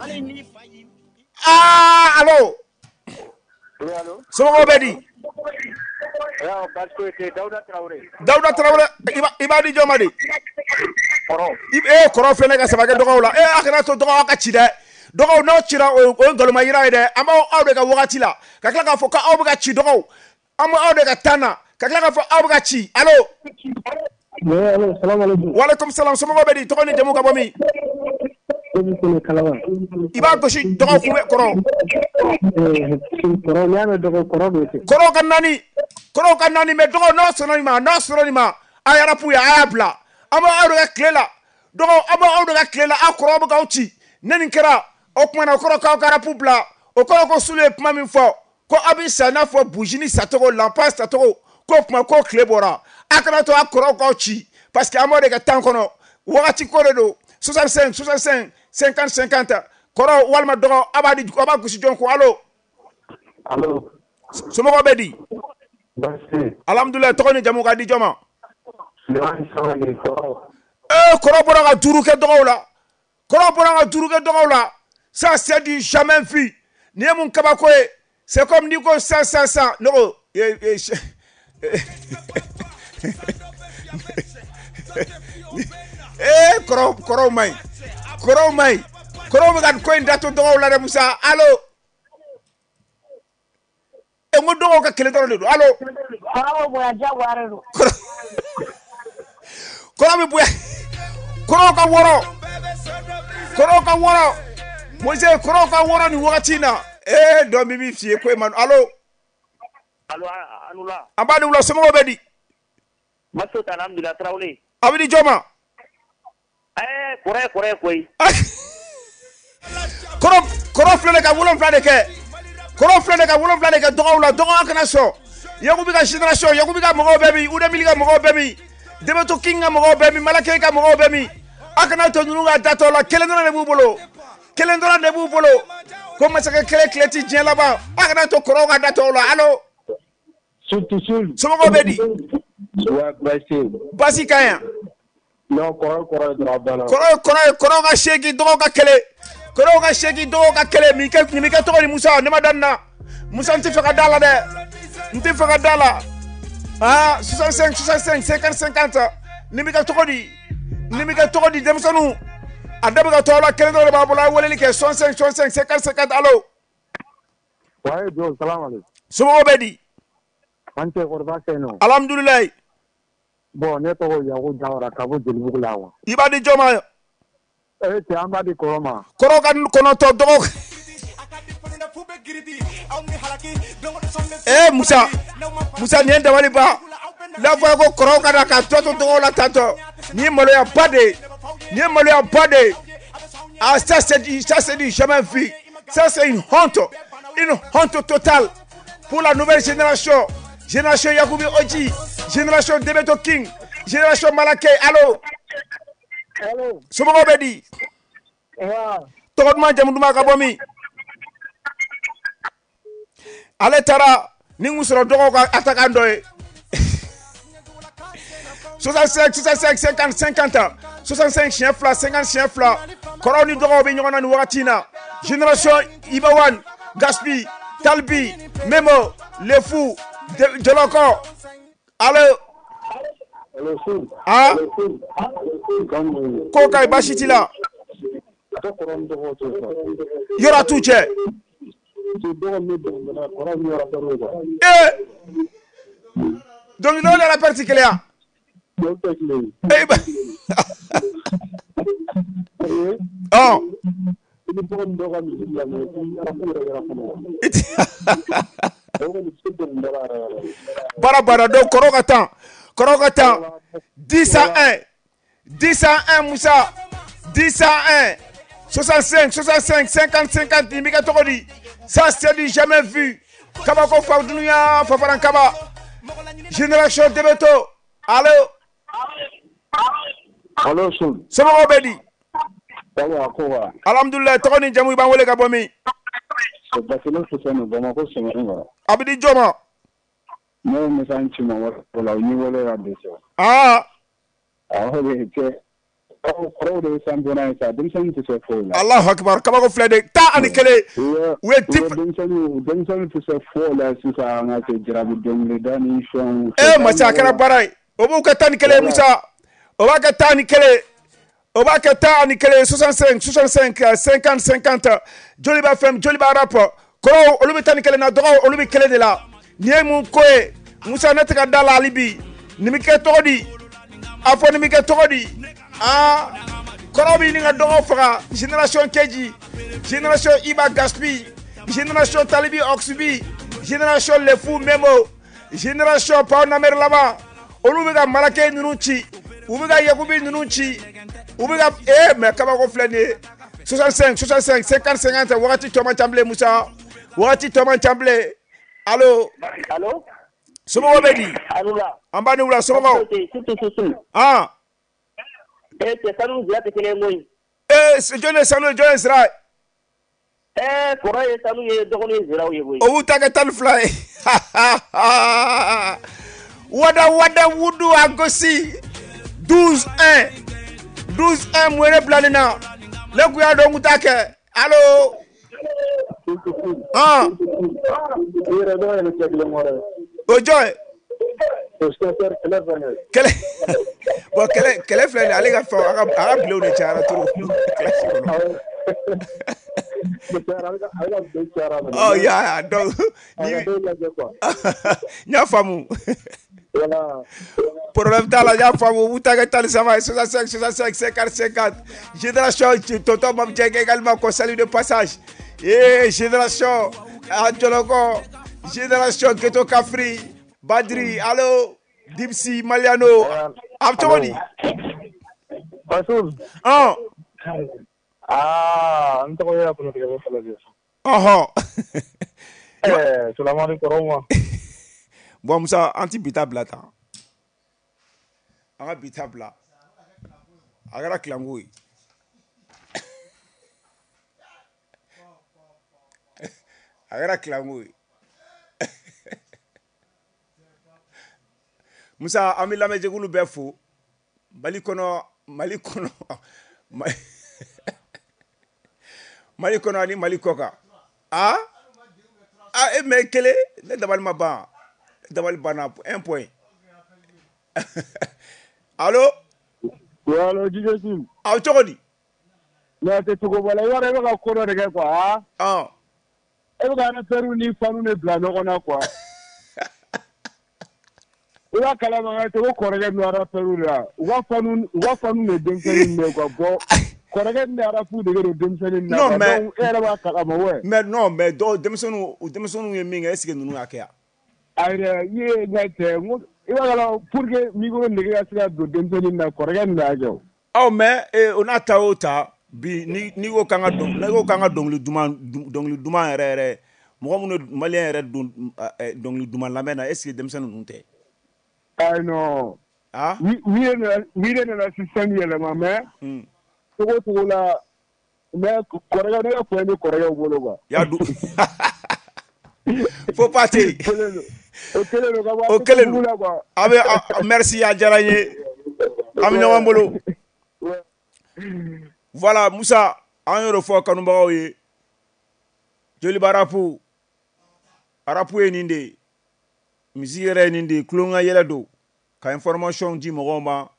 Speaker 2: Ah, allo.
Speaker 16: Oui, allo.
Speaker 2: Somɔgɔw bɛ di?
Speaker 16: Dawuda Traoré.
Speaker 2: Dawuda Traoré, i b'a di jɔn ma de?
Speaker 16: Kɔrɔ.
Speaker 2: E kɔrɔ filɛ ne ka saba kɛ dɔgɔw la. E a kana to dɔgɔw ka ci dɛ. Dɔgɔw n'aw cira o ye nkalonma yira ye dɛ. An b'aw aw de ka wagati la ka tila k'a fɔ k'aw bɛ ka ci dɔgɔw. An b'aw de ka tan na ka tila k'a fɔ aw bɛ ka ci. Allo.
Speaker 17: Oui, allo, salam alaikum.
Speaker 2: Waaleykum salam. Somɔgɔw bɛ di? Tɔgɔ ni jamu ka bɔ min? I b'a gosi dɔgɔ kun bɛ kɔrɔ.
Speaker 17: Kɔrɔ n'i y'a mɛn dɔgɔ kɔrɔ don.
Speaker 2: Kɔrɔw ka naani, kɔrɔw ka naani mɛ dɔgɔ n'aw sɔnna nin ma, n'aw sɔnna nin ma, a yɛrɛ pu ye a y'a bila. An b'aw de ka tile la dɔgɔ, an b'aw de ka tile la, aw kɔrɔw bɛ k'aw ci. Ne nin kɛra o tuma na o kɔrɔ k'aw ka rapu bila. O kɔrɔ ko Sulu ye kuma min fɔ ko aw bɛ sa i n'a fɔ bujini sacogo, lanpa sacogo, k'o kuma ko tile bɔra. A kana to a kɔrɔw k'aw ci parce que an b'aw de ka tan kɔnɔ. Wagati ko de don. soixante-cinq soixante-cinq cinquante cinquante. Kɔrɔ walima dɔgɔ, a b'a di, a b'a gosi jɔn ko? Allo.
Speaker 16: Allo.
Speaker 2: Somɔgɔw bɛ di?
Speaker 16: Baasi.
Speaker 2: Alhamdulilayi. Tɔgɔ ni jamu ka di jɔn ma?
Speaker 16: Sulemani Samake, kɔrɔ.
Speaker 2: Ee kɔrɔ bɔra ka duuru kɛ dɔgɔw la. Kɔrɔ bɔra ka duuru kɛ dɔgɔw la. Ça c'est du jamais vu. Nin ye mun kabako ye? C'est comme n'i ko sisan sisan sisan ne ko ee kɔrɔw kɔrɔw man ɲi, kɔrɔw man ɲi, kɔrɔw bɛ ka nin ko in datu dɔgɔw la dɛ Musa. Allo. N ko dɔgɔw ka kelen dɔrɔn de don. Allo.
Speaker 18: Kɔrɔ bɛ bonya diyagoya de don.
Speaker 2: Kɔrɔ bɛ bonya. Kɔrɔw ka wɔɔrɔ. Kɔrɔw ka wɔɔrɔ. Moise kɔrɔw ka wɔɔrɔ nin wagati in na. Ee dɔ min b'i f'i ye ko e ma. Allo.
Speaker 19: Allo Anula.
Speaker 2: An b'a ni wula, somɔgɔw bɛ di?
Speaker 19: Maso ta alhamdulillah Tarawele.
Speaker 2: A bɛ di jɔn ma?
Speaker 19: Ɛɛ kɔrɔ ye kɔrɔ ye koyi.
Speaker 2: Kɔrɔ kɔrɔ filɛ de ka wolonfila de kɛ. Kɔrɔ filɛ de ka wolonfila de kɛ dɔgɔw la, dɔgɔ kana sɔn. Yakubi ka génération, Yakubi ka mɔgɔw bɛ min, Udemili ka mɔgɔw bɛ min, Debeto King ka mɔgɔw bɛ min, Malake ka mɔgɔw bɛ min. A kana to ninnu ka datɔ la, kelen dɔrɔn de b'u bolo. Kelen dɔrɔn de b'u bolo. Ko masakɛ kelen tile ti diɲɛ laban. A kana to kɔrɔw ka datɔ la. Allo. Somɔgɔw bɛ di? Baasi ka ɲi.
Speaker 17: Non, kɔrɔ kɔrɔ ye dɔrɔn a banna.
Speaker 2: Kɔrɔ ye kɔrɔ ye, kɔrɔw ka seegin, dɔgɔw ka kelen. Kɔrɔw ka seegin, dɔgɔw ka kelen. Nin kɛ nin bɛ kɛ tɔgɔ di Musa? Ne ma da nin na. Musa, n tɛ fɛ ka da la dɛ. N tɛ fɛ ka da la. Ah, soixante-cinq soixante-cinq cinquante cinquante. Nin bɛ kɛ tɔgɔ di? Nin bɛ kɛ tɔgɔ di denmisɛnninw? A da bɛ ka to aw la, kelen dɔrɔn de b'a bolo. A ye weleli kɛ soixante-cinq soixante-cinq cinquante cinquante. Allo.
Speaker 17: Wayi jo, salam aleykum.
Speaker 2: Somɔgɔw bɛ di?
Speaker 17: An cɛ kɔrɔ baasi tɛ yen nɔ.
Speaker 2: Alhamdulilayi.
Speaker 17: Bon, ne tɔgɔ Yaku Jawara ka bɔ Jelibugu la wa.
Speaker 2: I b'a di jɔn ma?
Speaker 17: Eh cɛ, an b'a di kɔrɔ ma.
Speaker 2: Kɔrɔ ka kɔnɔntɔn dɔgɔ. Eh Musa, Musa nin ye dabali ban. N'a fɔra ko kɔrɔw ka na ka tɔ to dɔgɔw la tantɔ. Nin ye maloyaba de ye. Nin ye maloyaba de ye. Ah ça c'est du, ça c'est du jamais vu. Ça c'est une honte. Une honte totale pour la nouvelle génération. Génération Yakubi Oji, génération Debeto King, génération Malake. Allo.
Speaker 17: Allo.
Speaker 2: Somɔgɔw bɛ di? Tɔgɔ duman, jamu duman, ka bɔ min? Ale taara ni n sɔrɔ dɔgɔw ka attaquant dɔ ye. soixante-cinq soixante-cinq cinquante cinquante soixante-cinq siɲɛ fila, cinquante siɲɛ fila. Kɔrɔw ni dɔgɔw bɛ ɲɔgɔn na nin wagati in na. Génération Ibawan, Gaspi, Talbi, Memo, Lefou, Jɔlɔkɔ. Allo. Ah. Ko ka ɲi, baasi t'i la. Yɔrɔ t'u cɛ. Ee. Dɔnkilidalaw ni rappeur ti kelen ya? Ee ba. Ɔ. Baara baara donc kɔrɔw ka tan, kɔrɔw ka tan. dix à un, dix à un Musa, dix à un, soixante-cinq soixante-cinq cinquante cinquante. Nin bɛ kɛ tɔgɔ di? Ça c'est du jamais vu. Kabako fa dunuya fafaran kaba. Génération Debeto. Allo.
Speaker 17: Allo Sul.
Speaker 2: Somɔgɔw bɛ di?
Speaker 17: Sawa ko wa.
Speaker 2: Alhamdulilayi, tɔgɔ ni jamu, i b'an wele ka bɔ min?
Speaker 17: Basile Fuseni, Bamakɔ Sɛmɛni.
Speaker 2: A bɛ di jɔn ma?
Speaker 17: Ne ye Musa Nci ma o la, u ni wele ka dɛsɛ.
Speaker 2: Aa.
Speaker 17: Awɔ de cɛ. Kɔrɔw de ye championnat ye sa, denmisɛnnin tɛ se foyi la.
Speaker 2: Alahu akibaru, kabako filɛ de, tan ani kelen. U ye dix.
Speaker 17: Denmisɛnnin denmisɛnnin tɛ se foyi la sisan, an ka kɛ jarabi dɔnkilida ni fɛnw.
Speaker 2: Ee masa, a kɛra baara ye. O b'u kɛ tan ni kelen Musa. O b'a kɛ tan ni kelen. O b'a kɛ tan ani kelen. soixante-cinq soixante-cinq cinquante cinquante. Joliba F M, Joliba rap. Kɔrɔw olu bɛ tan ni kelen na, dɔgɔw olu bɛ kelen de la. Nin ye mun ko ye? Musa, ne tɛ ka da la hali bi. Nin bɛ kɛ tɔgɔ di? A fɔ nin bɛ kɛ tɔgɔ di? Ah, kɔrɔw bɛ ɲini ka dɔgɔw faga. Génération Keji, génération Iba Gaspi, génération Talibi Oxby, génération Lefou Memo, génération Pao Namer Laba. Olu bɛ ka Malake ninnu ci, u bɛ ka Yakubi ninnu ci, u bɛ ka eh mais kabako filɛ nin ye. soixante-cinq soixante-cinq cinquante cinquante. Wagati tɔ man ca bilen Musa, wagati tɔ man ca bilen. Allo.
Speaker 19: Allo.
Speaker 2: Somɔgɔw bɛ di?
Speaker 19: Alula.
Speaker 2: An b'a ni wula, somɔgɔw. Ah.
Speaker 19: Eh cɛ, sanu ni zira tɛ kelen ye koyi.
Speaker 2: Eh jɔn ye sanu ye, jɔn ye zira ye?
Speaker 19: Eh kɔrɔ ye sanu ye, dɔgɔnin ye ziraw ye koyi.
Speaker 2: O b'u ta kɛ tan ni fila ye. Wada wada wudu a gosi. douze un douze un mun ye ne bila nin na? Ne kun y'a dɔn n kun t'a kɛ. Allo. Ah. O jɔn ye? Kɛlɛ. Bon, kɛlɛ kɛlɛ filɛ nin ye, ale ka fɛn, a ka a ka bilenw de cayara trop kilasi kɔnɔ. Oh ya donc ni n y'a faamu. Problème t'a la, n y'a faamu. Wutaka tan ni saba soixante-cinq soixante-cinq cinquante cinquante. Génération tonton Mame Dieng également qu'on salue de passage. Et génération Adjoloko, génération Ghetto Kafri, Badri, allo Dipsy Maliano. A bɛ cogo di?
Speaker 17: Basul.
Speaker 2: Ɔn.
Speaker 17: Ah, n tɔgɔ ye Kunatigɛ bɔ Falajɛ.
Speaker 2: Ɔhɔn.
Speaker 17: Ɛɛ Sulamani kɔrɔw ma.
Speaker 2: Bon Musa, an ti bi ta bila tan. An ka bi ta bila. A kɛra kilanko ye. A kɛra kilanko ye. Musa, an bɛ lamɛnjɛkulu bɛɛ fo. Mali kɔnɔ, Mali kɔnɔ, Mali kɔnɔ ani Mali kɔ kan. Ah? Ah, e mɛ kelen, ne dabali ma ban. Dabali banna, un point. Allo?
Speaker 17: Oui, allo, D J Sim.
Speaker 2: A bɛ cogo di?
Speaker 17: Ne tɛ cogo bɔ la, i b'a dɔn e bɛ ka ko dɔ de kɛ quoi, ah?
Speaker 2: Ɔn.
Speaker 17: E bɛ ka rappeurs ni fans de bila ɲɔgɔn na quoi. I b'a kalama ka ko kɔrɔkɛ ninnu rappeurs de la, u ka fans u ka fans de denmisɛnnin ninnu ye quoi. Bon, kɔrɔkɛ ninnu de rap dege don denmisɛnnin na.
Speaker 2: Non mais
Speaker 17: donc e yɛrɛ b'a kalama ouais.
Speaker 2: Mais non, mais dɔw denmisɛnninw u denmisɛnninw ye min kɛ, est ce que ninnu y'a kɛ yan?
Speaker 17: Ayi dɛ, i ye n ka cɛ, n ko i b'a kalama pour que micro nege ka se ka don denmisɛnnin na, kɔrɔkɛ ninnu de y'a kɛ o.
Speaker 2: Ɔ mais o n'a ta o ta bi ni n'i ko k'an ka dɔn n'i ko k'an ka dɔnkili duman dɔnkili duman yɛrɛ yɛrɛ mɔgɔ minnu ye maliyɛn yɛrɛ don dɔnkili duman lamɛn na, est ce que denmisɛnnin ninnu tɛ?
Speaker 17: Ayi non.
Speaker 2: Ah?
Speaker 17: Oui, oui de nana système yɛlɛma mais cogo cogo la mais kɔrɔkɛ ne ka point bɛ kɔrɔkɛw bolo quoi.
Speaker 2: Y'a du. Faut pas ten.
Speaker 17: O kelen don ka bɔ
Speaker 2: O kelen don. A bɛ merci, a diyara n ye. An bɛ ɲɔgɔn bolo. Voilà Musa, an y'o de fɔ kanubagaw ye. Joliba rap, rap ye nin de ye. Musique yɛrɛ ye nin de ye, tulonkɛ yɛlɛ don. Ka information di mɔgɔw ma,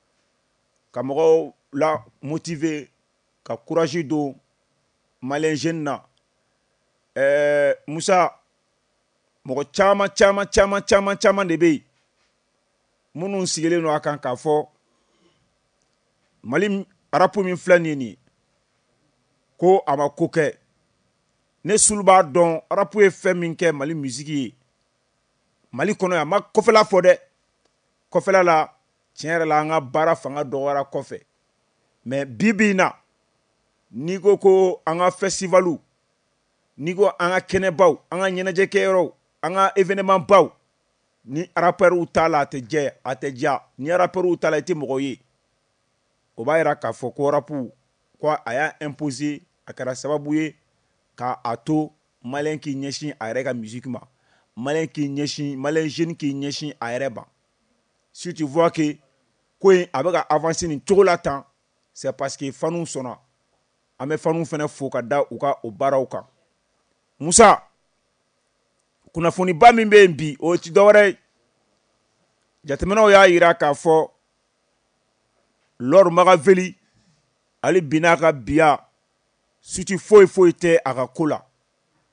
Speaker 2: ka mɔgɔw la motiver, ka courage don malien jeune na. Ɛɛ Musa, mɔgɔ caman caman caman caman caman de bɛ yen minnu sigilen don a kan k'a fɔ Mali rap min filɛ nin ye nin ye ko a ma ko kɛ. Ne sulu b'a dɔn rap ye fɛn min kɛ Mali musique ye Mali kɔnɔ yan, a ma kɔfɛla fɔ dɛ. Kɔfɛla la tiɲɛ yɛrɛ la an ka baara fanga dɔgɔyara kɔfɛ, mais bi bi in na n'i ko ko an ka festivalu, n'i ko an ka kɛnɛbaw, an ka ɲɛnajɛkɛyɔrɔw, an ka événement baw, ni rappeurs t'a la a tɛ jɛ, a tɛ diya. Ni rappeurs t'a la i tɛ mɔgɔ ye. O b'a yira k'a fɔ ko rap ko a y'a imposer, a kɛra sababu ye k'a a to malien k'i ɲɛsin a yɛrɛ ka musique ma, malien k'i ɲɛsin, malien jeune k'i ɲɛsin a yɛrɛ ma. Si tu vois que ko in a bɛ ka avancer nin cogo la tan, c'est parce que fanu sɔnna. An bɛ fanu fana fo ka da u ka o baaraw kan. Musa, kunnafoniba min bɛ yen bi, o ti dɔwɛrɛ ye. Jateminɛw y'a yira k'a fɔ Lord Magaveli ale bi n'a ka biya suti foyi foyi tɛ a ka ko la.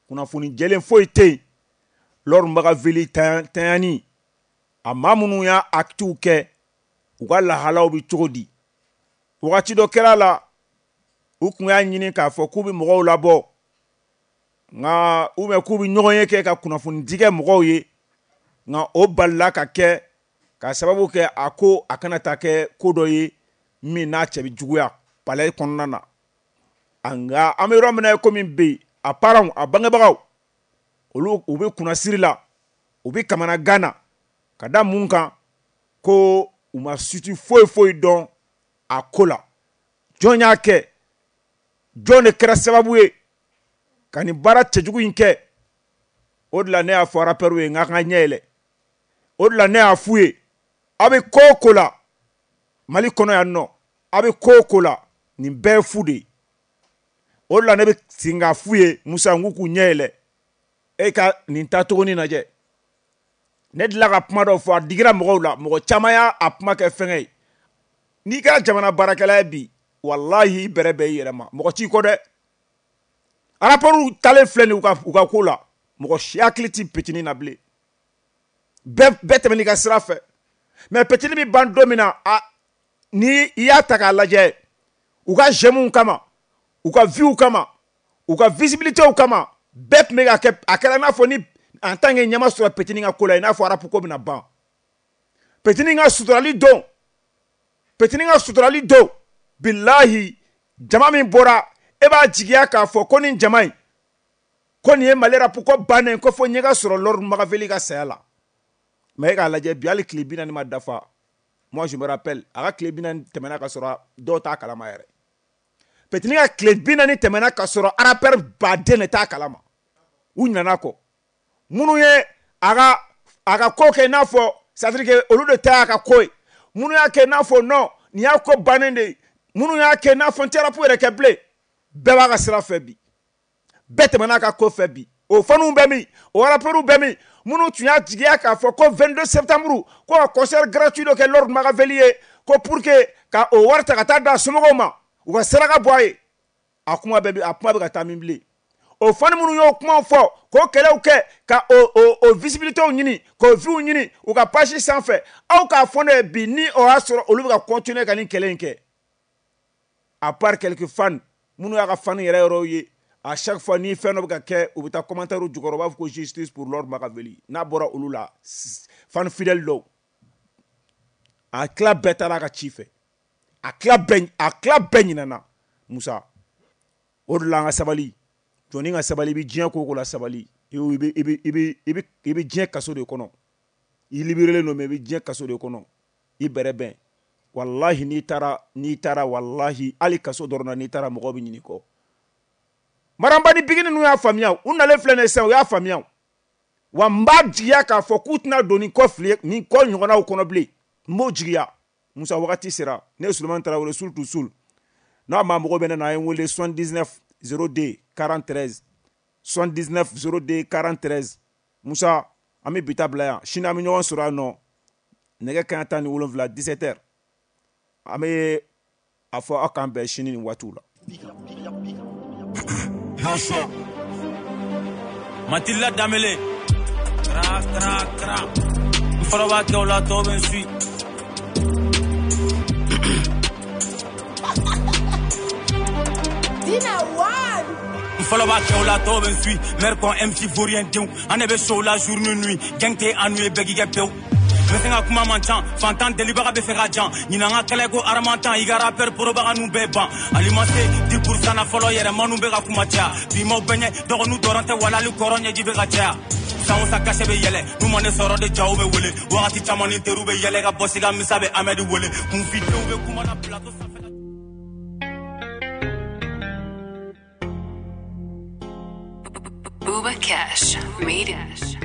Speaker 2: Kunnafoni jɛlen foyi tɛ yen. Lord Magaveli tanyani, a maa minnu y'a actes kɛ, u ka lahalaw bɛ cogo di? Wagati dɔ kɛra la, u tun y'a ɲini k'a fɔ k'u bɛ mɔgɔw labɔ, nka ou bien k'u bɛ ɲɔgɔn ye kɛ ka kunnafoni di kɛ mɔgɔw ye, nka o balila ka kɛ ka sababu kɛ a ko a kana taa kɛ ko dɔ ye min n'a cɛ bɛ juguya palais kɔnɔna na. Nka an bɛ yɔrɔ min na i komi bi, a parents, a bangebagaw, olu u bɛ kunnasiri la, u bɛ kamanagan na ka da mun kan ko u ma suti foyi foyi dɔn a ko la. Jɔn y'a kɛ? Jɔn de kɛra sababu ye ka nin baara cɛjugu in kɛ? O de la ne y'a fɔ rappeurs ye n k'a ka ɲɛ yɛlɛ. O de la ne y'a f'u ye, aw bɛ ko o ko la Mali kɔnɔ yan nɔ, aw bɛ ko o ko la nin bɛɛ ye fu de ye. O de la ne bɛ segin k'a f'u ye Musa, n k'u k'u ɲɛ yɛlɛ. E ka nin taacogo nin lajɛ. Ne delila ka kuma dɔ fɔ, a digira mɔgɔw la, mɔgɔ caman y'a a kuma kɛ fɛngɛ ye. N'i kɛra jamana baarakɛla ye bi, walahi i bɛrɛ bɛn i yɛrɛ ma, mɔgɔ t'i kɔ dɛ. Rappeurs talen filɛ nin u ka u ka ko la, mɔgɔ si hakili ti petini na bilen. Bɛɛ bɛɛ tɛmɛn'i ka sira fɛ. Mais petini bɛ ban don min na, a ni i y'a ta k'a lajɛ, u ka j'aime kama, u ka vues kama, u ka visibilité kama, bɛɛ tun bɛ ka kɛ, a kɛra i n'a fɔ ni en tant que ɲɛma sɔrɔ petini ka ko la, i n'a fɔ rap ko bɛna ban. Petini ka suturali don, petini ka suturali don, bilahi jama min bɔra, e b'a jigiya k'a fɔ ko nin jama in, ko nin ye Mali rap ko bannen, ko fo ɲɛ ka sɔrɔ Lord Makaveli ka saya la. Mais e k'a lajɛ bi, hali tile bi naani ma dafa. Moi je me rappelle, a ka tile bi naani tɛmɛna ka sɔrɔ dɔw t'a kalama yɛrɛ. Petini ka tile bi naani tɛmɛna ka sɔrɔ rappeur baden de t'a kalama. U ɲinɛna kɔ. Minnu ye a ka a ka ko kɛ i n'a fɔ, c'est à dire que olu de ta y'a ka ko ye. Minnu y'a kɛ i n'a fɔ non, nin y'a ko bannen de ye. Minnu y'a kɛ i n'a fɔ n tɛ rap yɛrɛ kɛ bilen. Bɛɛ b'a ka sira fɛ bi. Bɛɛ tɛmɛna a ka ko fɛ bi. O faniw bɛ min? O rappeurs bɛ min? Minnu tun y'a jigiya k'a fɔ ko vingt-deux septembre ko ka concert gratuit dɔ kɛ Lord Makaveli ye, ko pour que ka o wari ta ka taa d'a somɔgɔw ma, u ka saraka bɔ a ye. A kuma bɛɛ a kuma bɛ ka taa min bilen? O fani minnu y'o kumaw fɔ, k'o kɛlɛw kɛ, ka o o o visibilité ɲini, k'o vues ɲini u ka page sanfɛ, aw k'a fɔ ne ye bi ni o y'a sɔrɔ olu bɛ ka continuer ka nin kɛlɛ in kɛ. À part quelques fans minnu y'a ka fan yɛrɛ yɔrɔw ye, à chaque fois ni fɛn dɔ bɛ ka kɛ, u bɛ taa commentaire jukɔrɔ, u b'a fɔ ko justice pour Lord Makaveli. N'a bɔra olu la, fan fidèle dɔw, a tila bɛɛ taara a ka ci fɛ, a tila bɛɛ a tila bɛɛ ɲinɛna. Musa, o de la an ka sabali, jɔnni ka sabali, i bɛ diɲɛ ko o ko la sabali, i bɛ i bɛ i bɛ i bɛ i bɛ diɲɛ kaso de kɔnɔ. I libéré don, mais i bɛ diɲɛ kaso de kɔnɔ, i bɛrɛ bɛn. Walahi n'i taara n'i taara walahi hali kaso dɔrɔn na n'i taara mɔgɔw bɛ ɲin'i kɔ. Maramba ni bigini ninnu y'a faamuya, u nalen filɛ nin ye sisan, u y'a faamuya. Wa n b'a jigiya k'a fɔ k'u tɛna don nin kɔ fili nin kɔ ɲɔgɔnnaw kɔnɔ bilen. N b'o jigiya. Musa, wagati sera. Ne ye Sulemani Tarawele, sul to sul. N'a maa mago bɛ ne na, a ye n wele soixante-dix-neuf zéro deux quarante-treize soixante-dix-neuf zéro deux quarante-treize. Musa, an bɛ bi ta bila yan. Sini an bɛ ɲɔgɔn sɔrɔ yan nɔ nɛgɛ kanɲɛ tan ni wolonwula dix-sept heures. An bɛ a fɔ aw k'an bɛn sini nin waatiw la.
Speaker 20: Matilda Damele. Tra, tra, tra. N fɔlɔ b'a kɛ o la, tɔw bɛ n suit.
Speaker 1: Dina One.
Speaker 20: N fɔlɔ b'a kɛ o la, tɔw bɛ n suit. Mère kon M C vaurien denw. An de bɛ show la jour ni nuit. Gang tɛ an n'u ye, bɛɛ k'i kɛ pewu. N bɛ se ka kuma man ca, fantan delibaga bɛ fɛ ka jan. Ɲinan ka kɛlɛ ko haramantan, i ka rappeur porobaga n'u bɛɛ ban. Alimase dix pour cent na fɔlɔ yɛrɛ manu bɛ ka kuma caya. Bi m'aw bɛɛ ɲɛ, dɔgɔninw dɔrɔn tɛ wala hali kɔrɔ ɲɛji bɛ ka caya. San o san cachet bɛ yɛlɛ, n'u ma ne sɔrɔ de jaw bɛ wele. Wagati caman ni teriw bɛ yɛlɛ ka bɔ sika misa bɛ Amɛdi wele. Kunfidenw bɛ kuma na plateau sanfɛ.
Speaker 21: Booba Cash made it.